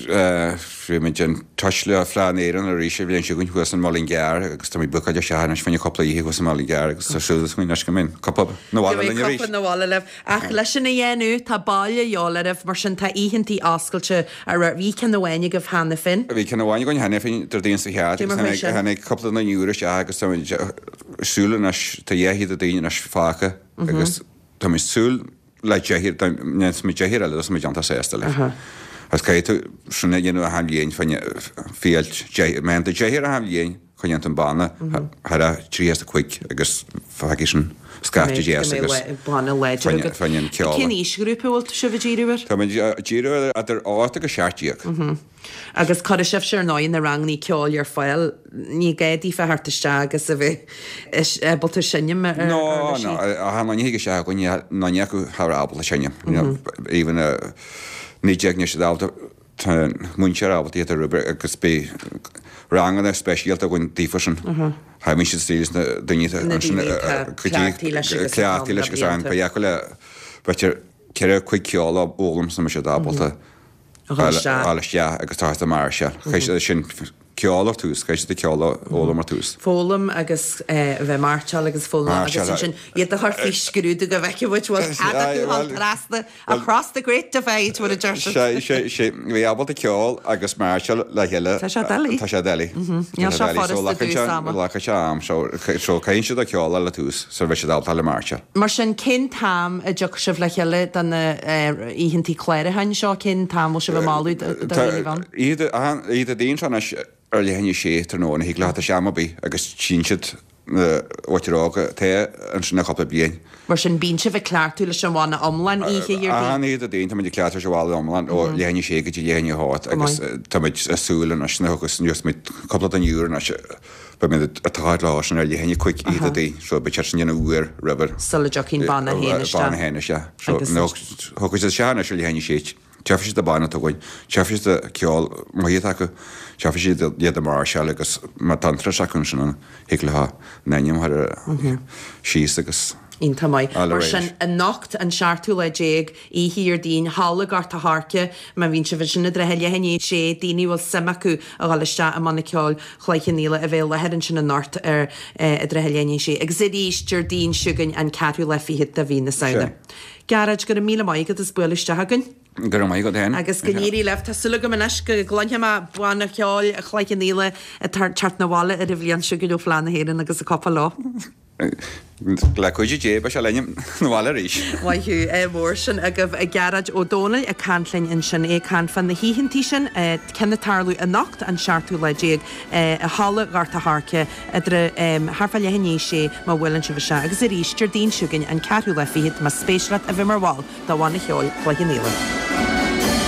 bhí muid in touch le Fleadh na hÉireann arís an bhliain seo chugainn thuas in Mullingar agus tá muid bookáilte isteach anois fá choinne cúpla oíche thuas in Mullingar agus tá súil againn anois go mbeidh cúpla 'na bhaile linn arís. Go mbeidh cúpla 'na bhaile libh. Ach leis sin a dhéanamh, tá baile de dhíobháil oraibh, mar sin tá oícheantaí oscailte a raibh, bhí ceann amháin agaibh cheana féin. Bhí ceann amháin againn cheana féin Déardaoin seo chaite Cé mar agus chuaigh sin? tháinig cúpla duine úr isteach agus tá muid ag súil anois, tá dhá chéad daoine anois fágtha agus tá muid ag súil le deich, dá ndéanfaimid deich eile tá muid iontach sásta leis. Agus caithfidh tú sin a dhéanamh achan bhliain fá choinne fiáilt deich, má dhéanann tú deich achan bhliain coinníonn tú an banna thar a trí is a cúig agus fágfaidh sin scaifte deas agus banna láidir agat. fá choinne an ceol. Cén aoisghrúpa a bhfuil sibh ag díriú air? Tá muid ag díriú ar idir ocht agus seacht déag. Agus cuirfidh sibhse ar ndóigh na rangannaí ceoil ar fáil, ní gá daofa theacht isteach agus a bheith ábalta seinm ar No, uirlisí. no, achan duine a thig isteach againn, níl duine acu thar ábalta seinm. Even naoi déag níl siad ábalta, tá múinteoir ábalta iad a obair agus beidh ranganna speisialta againn daofa sin. Thaimid siad stíl na daoine Na ansin, daoine atá go dtí cleachtaithe leis agus atá cleachtaithe leis agus an blianta. ba dheacair le b'fhéidir ceithre cuig ceol a fhoghlaim sula mbeidh siad ábalta A dhul isteach. a dhul isteach agus tá siad máirseáil. Chaith siad sin ceol ar tús, chaith siad ceol a fhoghlaim ar tús. Foghlaim agus eh, a bheith máirseáil agus foghlaim agus Máirseáil, ansin iad a chur faoi scrúdú go bhfeicfidh muid bhfuil Is- cead aye, acu well, trasna across the great divide mar a deir siad. Sé, sé, sé, bhí ábalta ceol agus máirseáil le chéile. Tá sé doiligh. Tá sé doiligh. Níl sé furasta dtús ama. Glacann sé am, so so caitheann siad a ceol le tús, so bheidh siad ábalta le máirseáil. Mar sin cén t-am a dtiocfaidh sibh le chéile do na eh, oícheantaí clárúcháin seo, cén t-am bhfuil sibh ag moladh do dhaoine bheith ann? Iad a daon anois ar leath i ndiaidh a sé tráthnóna thig leat isteach am ar bith agus tchíonn siad na mhuintir óga te ansin le cúpla bliain. Mar sin bíonn sibh ag cleachtadh leis an bhanna iomlán oíche Dhéardaoin. Achan oíche Déardaoin tá muid ag cleachtadh leis an bhanna iomlán ó leath i ndiaidh a sé go dtí leath i ndiaidh a hocht agus tá muid ag súil anois na agus níos muid cúpla duine úr anois beidh muid ag tochailt leo sin ar leath i ndiaidh a cúig oíche Déardaoin so beidh siad sin déanamh uair roimh Sula dtiocfaidh an banna féin isteach. Banna féin isteach. So Agus- nó thug siad isteach anois ar leath i ndiaidh a sé. Tchífidh siad an banna atá againn, tchífidh siad an ceol maith atá acu, tchífidh siad iad ag máirseáil agus má tá an turas acu ansin an thig leo a n-ainm a chur síos agus Iontach maith. All Mar right. sin anocht an seachtú lá déag oíche Dhéardaoin Halla Ghort a' Choirce má bhíonn sibh ansin i dtrátha leath i ndiaidh a sé daoine bhfuil suim acu a dhul isteach i mbanna ceoil Chloich Cheann Fhaola a bheith i láthair ansin anocht ar eh, i dtrátha leath i ndiaidh a sé. Agus arís Déardaoin seo chugainn an ceathrú lá fichead de mhí na Samhna. Gearóid go raibh míle maith agat as bualadh isteach againn. Go raibh maith agat féin. Agus go n-éirí libh, tá súil agam anois go gcluinfidh mé banna ceoil Chloich Cheann Fhaola ag teacht 'na bhaile ar an bhliain seo chugainn ó Fleadh na hÉireann agus a copa leo. Le cuidiú Dé beidh sé linn 'na bhaile arís. Maith thú eh, mór sin agaibh a Gearóid Ó Dónaill ag caint linn ansin é caint fá na hoícheantaí sin eh, ceann ag tarlú anocht an seachtú lá déag eh, i Halla Ghort a' Choirce idir thart fá leath i ndiaidh a sé má bhuaileann sibh isteach agus arís Déardaoin seo chugainn an ceathrú lá fichead más spéis leat a bheith mar bhall de bhanna cheoil Chloich Cheann Fhaola.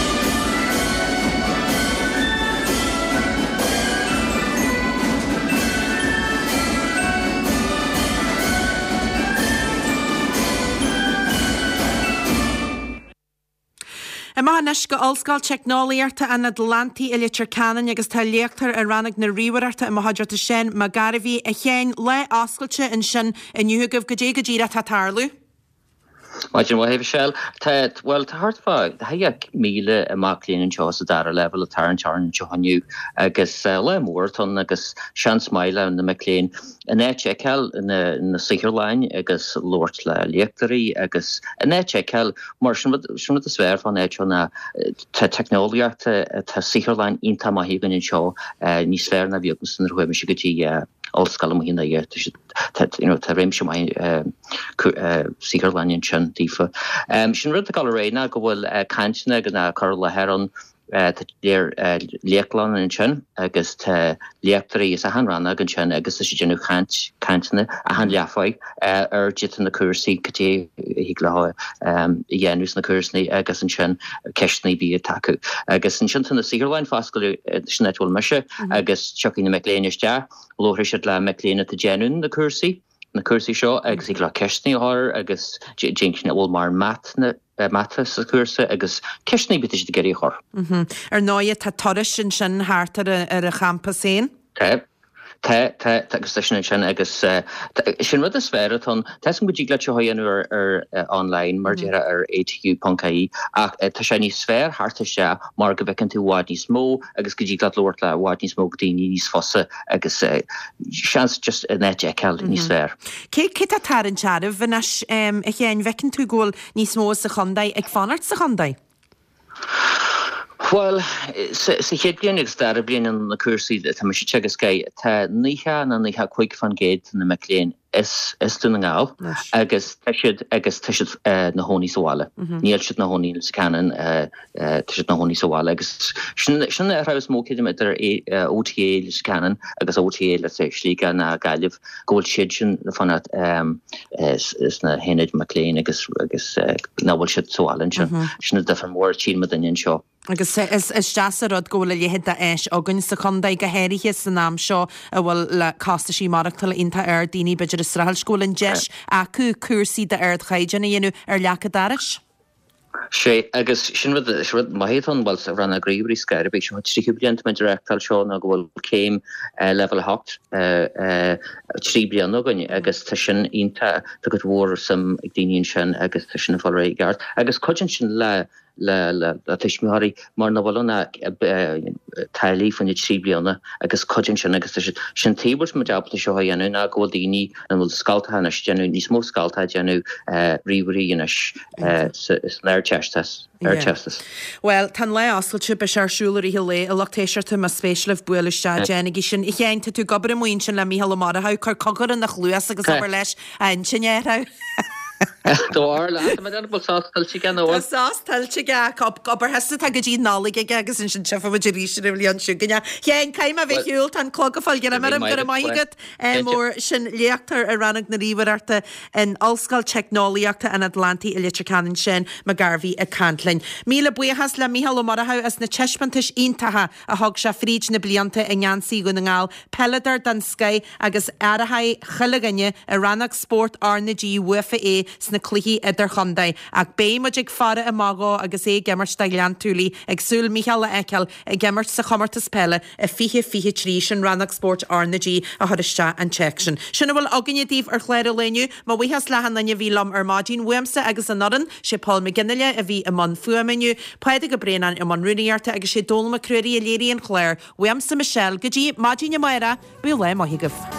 Amach anois go Ollscoil Teicneolaíochta an Atlantaigh i Leitir Ceanainn agus tá léachtóir i rannóg na ríomhaireachta i mo chuideachta Seán Mac Gairbhí a Sheáin lá oscailte ansin inniu agaibh goidé go díreach atá ag tarlú. Maidin mhaith, Michelle. Tá, bhuel, tá thart fá dheich míle mac léinn anseo sa dara leibhéal ag tarraingt orainn anseo inniu agus lá mór atá ann agus seans maith le na mic léinn an áit a fheiceáil, na saotharlanna agus labhairt le léachtóirí agus an áit a fheiceáil mar sin rud, sin rud is fearr fán áit seo ná tá teicneolaíocht, tá saotharlann iontach maith againn anseo, níos fearr ná bhí agamsa nuair a chuaigh mise go dtí ollscoil amuigh in Doire. Tá siad, tá, you know, tá réimse maith saotharlainne ansin daofa. Sin rud atá ag dul ar aghaidh ná go bhfuil cainteanna agus ná cur i láthair ann, tá léachtlann ansin agus tá léachtóirí as achan rannóg ansin agus tá siad ag déanamh caint, cainteanna achan leathuair ar caidé tá na cúrsaí, cad é a thig leo a dhéanamh sna cúrsaí agus ansin ceisteanna ar bith atá acu. Agus ansin tá na saotharlanna foscailte, sin áit a bhfuil mise agus tiocfaidh na mic léinn isteach. Labharfaidh siad le mic léinn atá ag déanamh na cúrsaí, na cúrsaí seo agus thig leo ceisteanna a chur agus déan bhfuil mar mat na mata sa chúrsa agus ceisteanna ar bith atá siad ag iarraidh a chur. Ar ndóighe tá turais ansin thart ar an champas féin. Tá. Tá, tá, tá agus tá sin ansin agus sin rud is fearr atá ann. Tá 'fhios agam go dtig leat seo a dhéanamh ar ar online mar a déarfá ar ATU ponc ie ach tá sé níos fearr theacht isteach mar go bhfeiceann tú i bhfad níos mó agus go dtig leat labhairt le i bhfad níos mó daoine níos fusa agus seans just an áit a fheiceáil níos fearr. Cé cé tá ag tarraingt oraibh anois a Sheáin? Bhfeiceann tú go bhfuil níos mó sa chontae ag fanacht sa chontae? Bhuel, sa chéad bhliain agus dara bliain na cúrsaí atá mise ag teagasc, tá naocha nó naocha cúig faoin gcéad de na mic léinn as as Dún na nGall agus tá siad agus tá siad ina chónaí sa bhaile. Níl siad ina chónaí sa Cannon, tá siad ina chónaí sa bhaile agus sin sin an athrú is mó creidim idir OTA Leitir Ceanainn agus OTA let's say Sligeach ná Gaillimh go bhfuil siad sin ag fanacht sna hionaid mac léinn agus agus nach bhfuil siad sa bhaile ansin. Sin an difear mór a tchíonn muidinne anseo. Agus is deas an rud go bhfuil a leithéid d'áis againn sa chontae, go háirithe san am seo a bhfuil le costaisí maireachtála iontach ard, daoine b'fhéidir ag streachailt, go bhfuil an deis acu cúrsaí d'ardchaighdeán a dhéanamh ar leac a dorais. Sé, agus sin rud, sin rud maith atá ann, bhuel, sa rannóg ríomhairí ar scor ar bith, seo an tríú bliain tá muid ag reáchtáil seo ná go bhfuil céim leibhéal a hocht, trí bliana againn agus tá sin iontach, tá cuid mhór suim ag daoine ansin agus tá sin ag fáil ar aghaidh i gceart. Agus cuidíonn sin le le tuismitheoirí mar nach bhfuil ann ach táillí faoi na trí bliana agus cuidíonn sin agus tá siad sin taobh bhfuil muid ábalta seo a dhéanamh ná go bhfuil daoine an bhfuil scoltacha anois ag déanamh níos mó scoltacha ag déanamh ríomhairí anois san Ardteastas. Ardteastas. Bhuel, tá an lá oscailte, beidh sé ar siúl i rith an lae, a lucht éisteachta, más spéis libh buail isteach, déanaigí sin. A Sheáin, tá tú ag obair amuigh ansin le Mícheál Ó Murchú, cuir cogar ina chluas agus abair leis a intinn a athrú. Tá bhfuil sos tuillte aige nó Tá sos tuillte aige ach obair thusa atá go dtí Nollaig aige agus ansin tchífidh muid arís ar an bhliain seo chugainn. A Sheáin, caithfidh mé a bheith ar shiúl, tá an clog ag fáil greim orm, go raibh maith agat mór. Sin léachtóir i rannóg na ríomhaireachta in Ollscoil Teicneolaíochta an Atlantaigh i Leitir Ceanainn, Seán McGarvey ag caint linn. Míle buíochas le Mícheál Ó Murchú as na taispeántais iontacha a thug sé fríd na blianta i ngeansaí Dhún na nGall, peileadóir den scoith agus aireoidh chuile dhuine i rannóg spóirt R na G uafa é sna cluichí idirchontae. Ach beidh muid ag faire amach dhó agus é ag imirt do Ghleann tSúilí, ag súil Mícheál a fheiceáil ag imirt sa chomórtas peile i fiche fiche trí, sin rannóg spóirt R na G a chuir isteach an téacs sin. Sin a bhfuil againne daoibh ar chlár an lae inniu. Mo bhuíochas le achan duine a bhí liom ar maidin, uaimse agus an fhoireann, sé Paul McGinley a bhí i mbun fuaime inniu, Pádraig Ó Braonáin i mbun rúnaíochta agus sé Dónal Mac Ruairí a léirigh an clár. Uaimse Michelle, go dtí maidin amárach, bíodh lá maith agaibh.